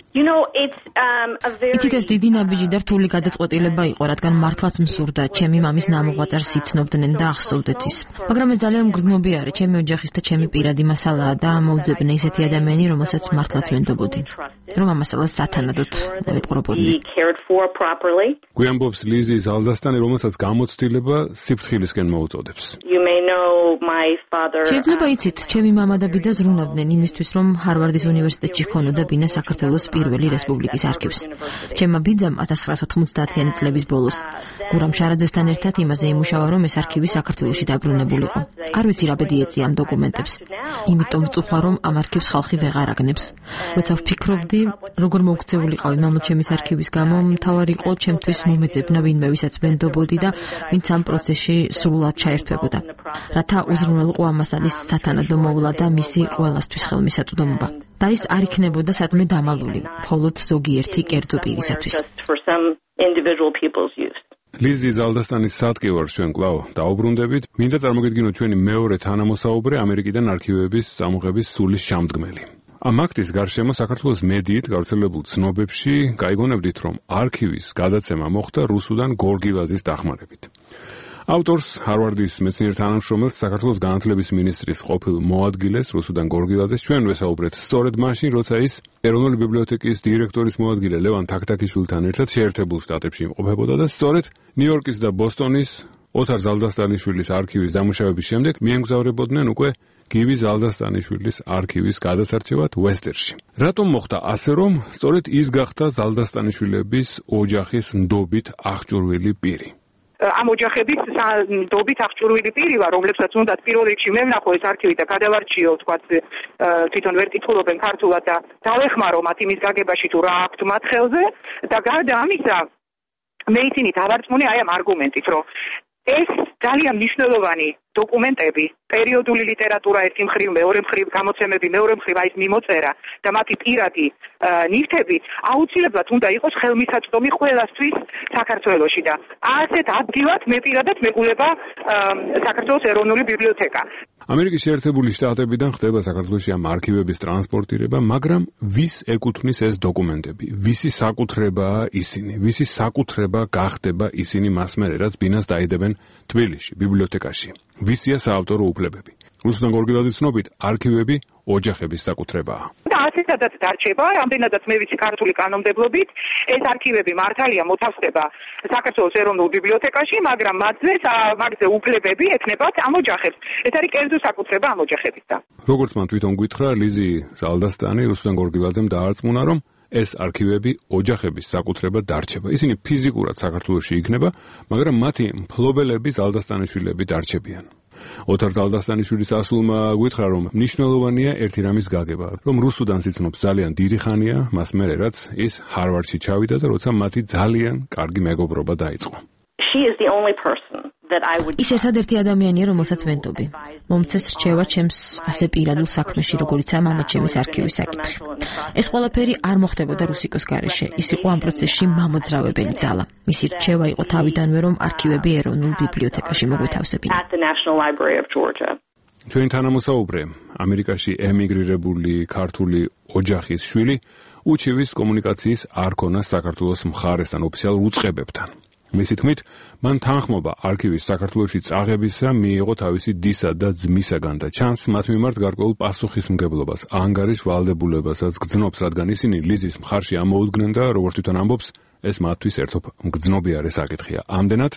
იცით, ეს დიდი ნაბიჯი და რთული გადაწყვეტილება იყო, რადგან მართლაც მსურდა ჩემი მამის ნამოღვაწარს იცნობდნენ და ახსოვდეთ ის. მაგრამ ეს ძალიან მგრძნობი არის, ჩემი ოჯახის და ჩემი პირადი მასალაა და მოუძებნე ისეთი ადამიანი, რომელსაც მართლაც ვენდობოდი, რომ ამ მასალას სათანადოდ მოეპყრობოდნენ. გვიამბობს ლიზი ზალდასტანი, რომელსაც გამოცდილება სიფრთხილისკენ მოუწოდებს. შეიძლება იცით, ჩემი მამა და ბიძა ზრუნავდნენ იმისთვის, რომ ჰარვარდის უნივერსიტეტში ჰქონოდა ბინა საქართველოს პირველი რესპუბლიკის არქივს. ჩემმა ბიძამ ათას ცხრაასი ოთხმოცდაათიანი წლების ბოლოს გურამ შარაძესთან ერთად იმაზე იმუშავა, რომ ეს არქივი საქართველოში დაბრუნებულიყო. არ ვიცი რა ბედი ეწია ამ დოკუმენტებს. იმიტომ ვწუხვა, რომ ამ არქივს ხალხი ვეღარ აგნებს. როცა ვფიქრობდი, როგორ მოუქცეულიყავი მამაჩემის არქივის გამო, მთავარი იყო ჩემთვის მომეძებნა ვინმე, ვისაც ვენდობოდი და ვინც ამ პროცესში სრულად ჩაერთვებოდა. რათა უზრუნველყო ამ მასალის სათანადო მოვლა და მისი ყველასთვის ხელმისაწვდომობა. და ის არ იქნებოდა სადმე დამალული, მხოლოდ ზოგიერთი კერძო პირისათვის. ლიზი ზალდასტანის სატკივარს ჩვენ კვლავ დაუბრუნდებით. მინდა წარმოგიდგინოთ ჩვენი მეორე თანამოსაუბრე ამერიკიდან არქივების წამოღების სულის შემდგმელი. ამ აქტის გარშემო საქართველოს მედიით გავრცელებულ ცნობებში გაიგონებდით, რომ არქივის გადაცემა მოხდა რუსუდან გორგილაძის დახმარებით. ავტორს, ჰარვარდის მეცნიერ თანამშრომელს, საქართველოს განათლების მინისტრის ყოფილ მოადგილეს რუსუდან გორგილაძეს ჩვენ ვესაუბრეთ სწორედ მაშინ, როცა ის ეროვნული ბიბლიოთეკის დირექტორის მოადგილე ლევან თაქთაქიშვილთან ერთად შეერთებულ შტატებში იმყოფებოდა და სწორედ ნიუ-იორკის და ბოსტონის ოთარ ზალდასტანიშვილის არქივის დამუშავების შემდეგ მიემგზავრებოდნენ უკვე გივი ზალდასტანიშვილის არქივის გადასარჩევად ვესტერში. რატომ მოხდა ასე, რომ სწორედ ის გახდა ზალდასტანიშვილების ოჯახის ნდობით აღჭურვილი პირი? ამ ოჯახების ნდობით აღჭურვილი პირი ვარ, რომლებსაც უნდათ პირველ რიგში მე ვნახო ეს არქივი და გადავარჩიო, თქვა თვითონ ვერ კითხულობენ ქართულად და დავეხმარო მათ იმის გაგებაში თუ რა აქვთ მათ ხელზე და გარდა ამისა მე ისინი დავარწმუნე აი ამ არგუმენტით, რომ ეს ძალიან მნიშვნელოვანი დოკუმენტები, პერიოდული ლიტერატურა ერთი მხრივ, მეორე მხრივ გამოცემები, მეორე მხრივ აი ეს მიმოწერა და მათი პირადი ნივთები აუცილებლად უნდა იყოს ხელმისაწვდომი ყველასთვის საქართველოში და ასეთ ადგილად მე პირადად მეგულება საქართველოს ეროვნული ბიბლიოთეკა. ამერიკის შეერთებული შტატებიდან ხდება საქართველოში ამ არქივების ტრანსპორტირება, მაგრამ ვის ეკუთვნის ეს დოკუმენტები? ვისი საკუთრებაა ისინი? ვისი საკუთრება გახდება ისინი მას მერე, რაც ბინას დაიდებენ თბილისში, ბიბლიოთეკაში? ვისია საავტორო უფლებები? რუსუდან გორგილაძის ცნობით, არქივები ოჯახების საკუთრებაა. და ასეთადაც დარჩება, რამდენადაც მე ვიცი ქართული კანონმდებლობით, ეს არქივები მართალია მოთავსდება საქართველოს ეროვნულ ბიბლიოთეკაში, მაგრამ მათზე მაგზე უფლებები ეკნებათ ამ ოჯახებს. ეს არის კერძო საკუთრება ამ ოჯახებისა. როგორც მან თვითონ გითხრა, ლიზი ზალდასტანი რუსუდან გორგილაძემ დაარწმუნა, რომ ეს არქივები ოჯახების საკუთრება დარჩება. ისინი ფიზიკურად საქართველოში იქნება, მაგრამ მათი მფლობელები ზალდასტანიშვილები დარჩებიან. ოთარ ზალდასტანიშვილის ასულმა გითხრა, რომ მნიშვნელოვანია ერთი რამის გაგება, რომ რუსუდანს იცნობს ძალიან დიდი ხანია, მას მერე რაც ის ჰარვარდში ჩავიდა და როცა მათი ძალიან კარგი მეგობრობა დაიწყო. ის ერთადერთი ადამიანია, რომელსაც ვენდობი. მომცეს რჩევა ჩემს ასე პირადულ საქმეში, როგორიცაა მამაჩემის არქივის საკითხი. ეს ყველაფერი არ მოხდებოდა რუსიკოს გარეშე. ის იყო ამ პროცესში მამოძრავებელი ძალა. მისი რჩევა იყო თავიდანვე, რომ არქივები ეროვნულ ბიბლიოთეკაში მოგვეთავსებინა. ჩვენი თანამოსაუბრე, ამერიკაში ემიგრირებული ქართული ოჯახის შვილი, უჩივის კომუნიკაციის არ ქონა საქართველოს მხარესთან ოფიციალურ უწყებებთან. მისი თქმით, მან თანხმობა არქივის საქართველოში წაღებისა მიიღო თავისი დისა და ძმისაგან და ჩანს მათ მიმართ გარკვეულ პასუხისმგებლობას, ანგარიშ ვალდებულებასაც გძნობს, რადგან ისინი ლიზის მხარში ამოუდგნენ და როგორც თვითონ ამბობს, ეს მათთვის ერთობ მგძნობიარე საკითხია. ამდენად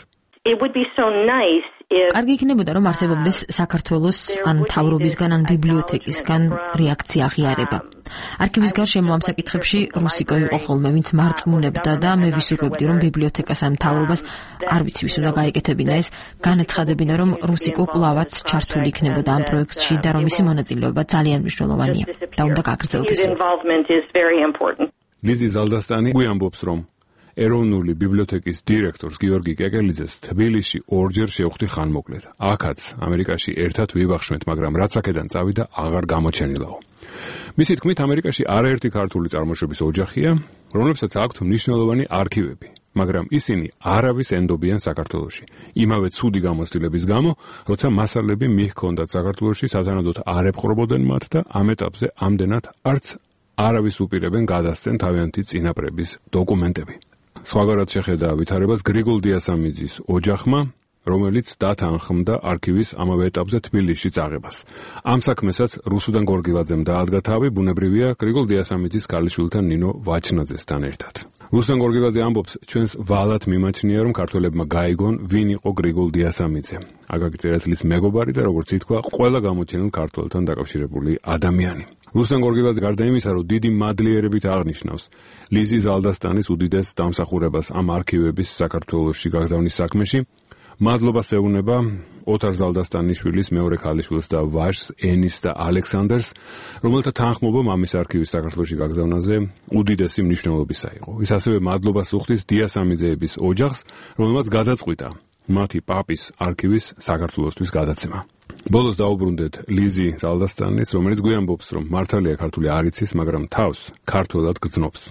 კარგი იქნებოდა, რომ არსებობდეს საქართველოს ან მთავრობისგან, ან ბიბლიოთეკისგან რეაქცია აღიარება. არქივის გარშემო ამ საკითხებში რუსიკო იყო ხოლმე, ვინც მარწმუნებდა და მე ვისურვებდი, რომ ბიბლიოთეკას ან მთავრობას, არ ვიცი ვის უნდა გაეკეთებინა ეს, განაცხადებინა, რომ რუსიკო კვლავაც ჩართული იქნებოდა ამ პროექტში და რომ მისი მონაწილეობა ძალიან მნიშვნელოვანია და უნდა გაგრძელდეს. ლიზი ზალდასტანი გვიამბობს, რომ ეროვნული ბიბლიოთეკის დირექტორს გიორგი კეკელიძეს თბილისში ორჯერ შევხვდი ხანმოკლედ. აქაც ამერიკაში ერთად ვიბახშმეთ, მაგრამ რაც აქედან წავიდა, აღარ გამოჩენილაო. მისი თქმით, ამერიკაში არაერთი ქართული წარმოშობის ოჯახია, რომლებსაც აქვთ მნიშვნელოვანი არქივები, მაგრამ ისინი არავის ენდობიან საქართველოში. იმავე ცუდი გამოცდილების გამო, როცა მასალები მიჰქონდათ საქართველოში, სათანადოდ არ ეპყრობოდნენ მათ და ამ ეტაპზე ამდენად არც არავის უპირებენ გადასცენ თავიანთი წინაპრების დოკუმენტები. სხვაგვარად შეხედა ვითარებას გრიგოლ დიასამიძის ოჯახმა, რომელიც დათანხმდა არქივის ამავე ეტაპზე თბილისში წაღებას. ამ საქმესაც რუსუდან გორგილაძემ დაადგა თავი, ბუნებრივია გრიგოლ დიასამიძის ქალიშვილთან ნინო ვაჩნაძესთან ერთად. რუსუდან გორგილაძე ამბობს, ჩვენს ვალად მიმაჩნია, რომ ქართველებმა გაიგონ, ვინ იყო გრიგოლ დიასამიძე. აკაკი წერეთლის მეგობარი და როგორც ითქვა, ყველა გამოჩენილ ქართველთან დაკავშირებული ადამიანი. რუსუდან გორგილაძე გარდა იმისა, რომ დიდი მადლიერებით აღნიშნავს ლიზი ზალდასტანის უდიდეს დამსახურებას ამ არქივების საქართველოში გაგზავნის საქმეში, მადლობას ეუბნება ოთარ ზალდასტანიშვილის მეორე ქალიშვილს და ვაჟს ენის და ალექსანდრს, რომელთა თანხმობა მამის არქივის საქართველოში გაგზავნაზე უდიდესი მნიშვნელობისა იყო. ის ასევე მადლობას უხდის დიასამიძეების ოჯახს, რომელმაც გადაწყვიტა მათი პაპის არქივის საქართველოსთვის გადაცემა. ბოლოს დაუბრუნდეთ ლიზი ზალდასტანის, რომელიც გვიამბობს, რომ მართალია ქართული არ იცის, მაგრამ თავს ქართველად გრძნობს.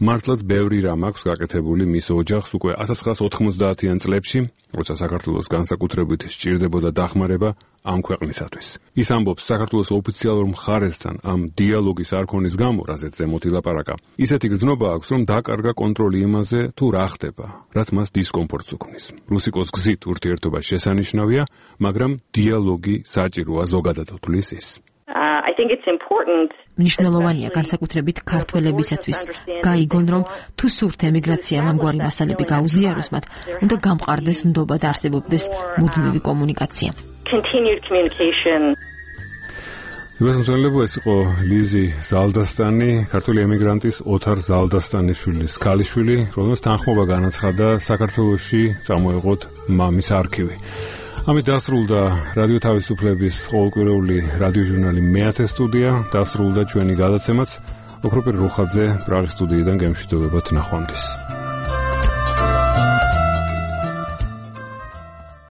მართლაც ბევრი რამ აქვს გაკეთებული მის ოჯახს უკვე ათას ცხრაასი ოთხმოცდაათიან წლებში, როცა საქართველოს განსაკუთრებით სჭირდებოდა დახმარება ამ ქვეყნისათვის. ის ამბობს, საქართველოს ოფიციალურ მხარესთან ამ დიალოგის არქონის გამო, რაზეც ზემოთ ილაპარაკა, ისეთი გრძნობა აქვს, რომ დაკარგა კონტროლი იმაზე, თუ რა ხდება, რაც მას დისკომფორტს უქმნის. რუსიკოს გზით ურთიერთობა შესანიშნავია, მაგრამ დიალოგი საჭიროა ზოგადად თulis ის. I think it's important. მნიშვნელოვანია განსაკუთრებით ქართველებისათვის გაიგონ, რომ თუ სურთ ემიგრაციამ ამგვარი მასალები გაუზიაროს მათ, უნდა გამყარდეს ნდობა და არსებობდეს მუდმივი კომუნიკაცია. Continued communication. მოსმენელო ეს იყო ლიზი ზალდასტანი, ქართული ემიგრანტის ოთარ ზალდასტანიშვილის ქალიშვილი, რომელსაც თანხმობა განაცხადა საქართველოში წამოეღოთ მამის არქივი. ამით დასრულდა რადიო თავისუფლების ყოველკვირეული რადიოჟურნალი მეათე სტუდია, დასრულდა ჩვენი გადაცემაც. ოქროპირ რუხაძე პრაღის სტუდიიდან გემშვიდობებათ ნახვამდის.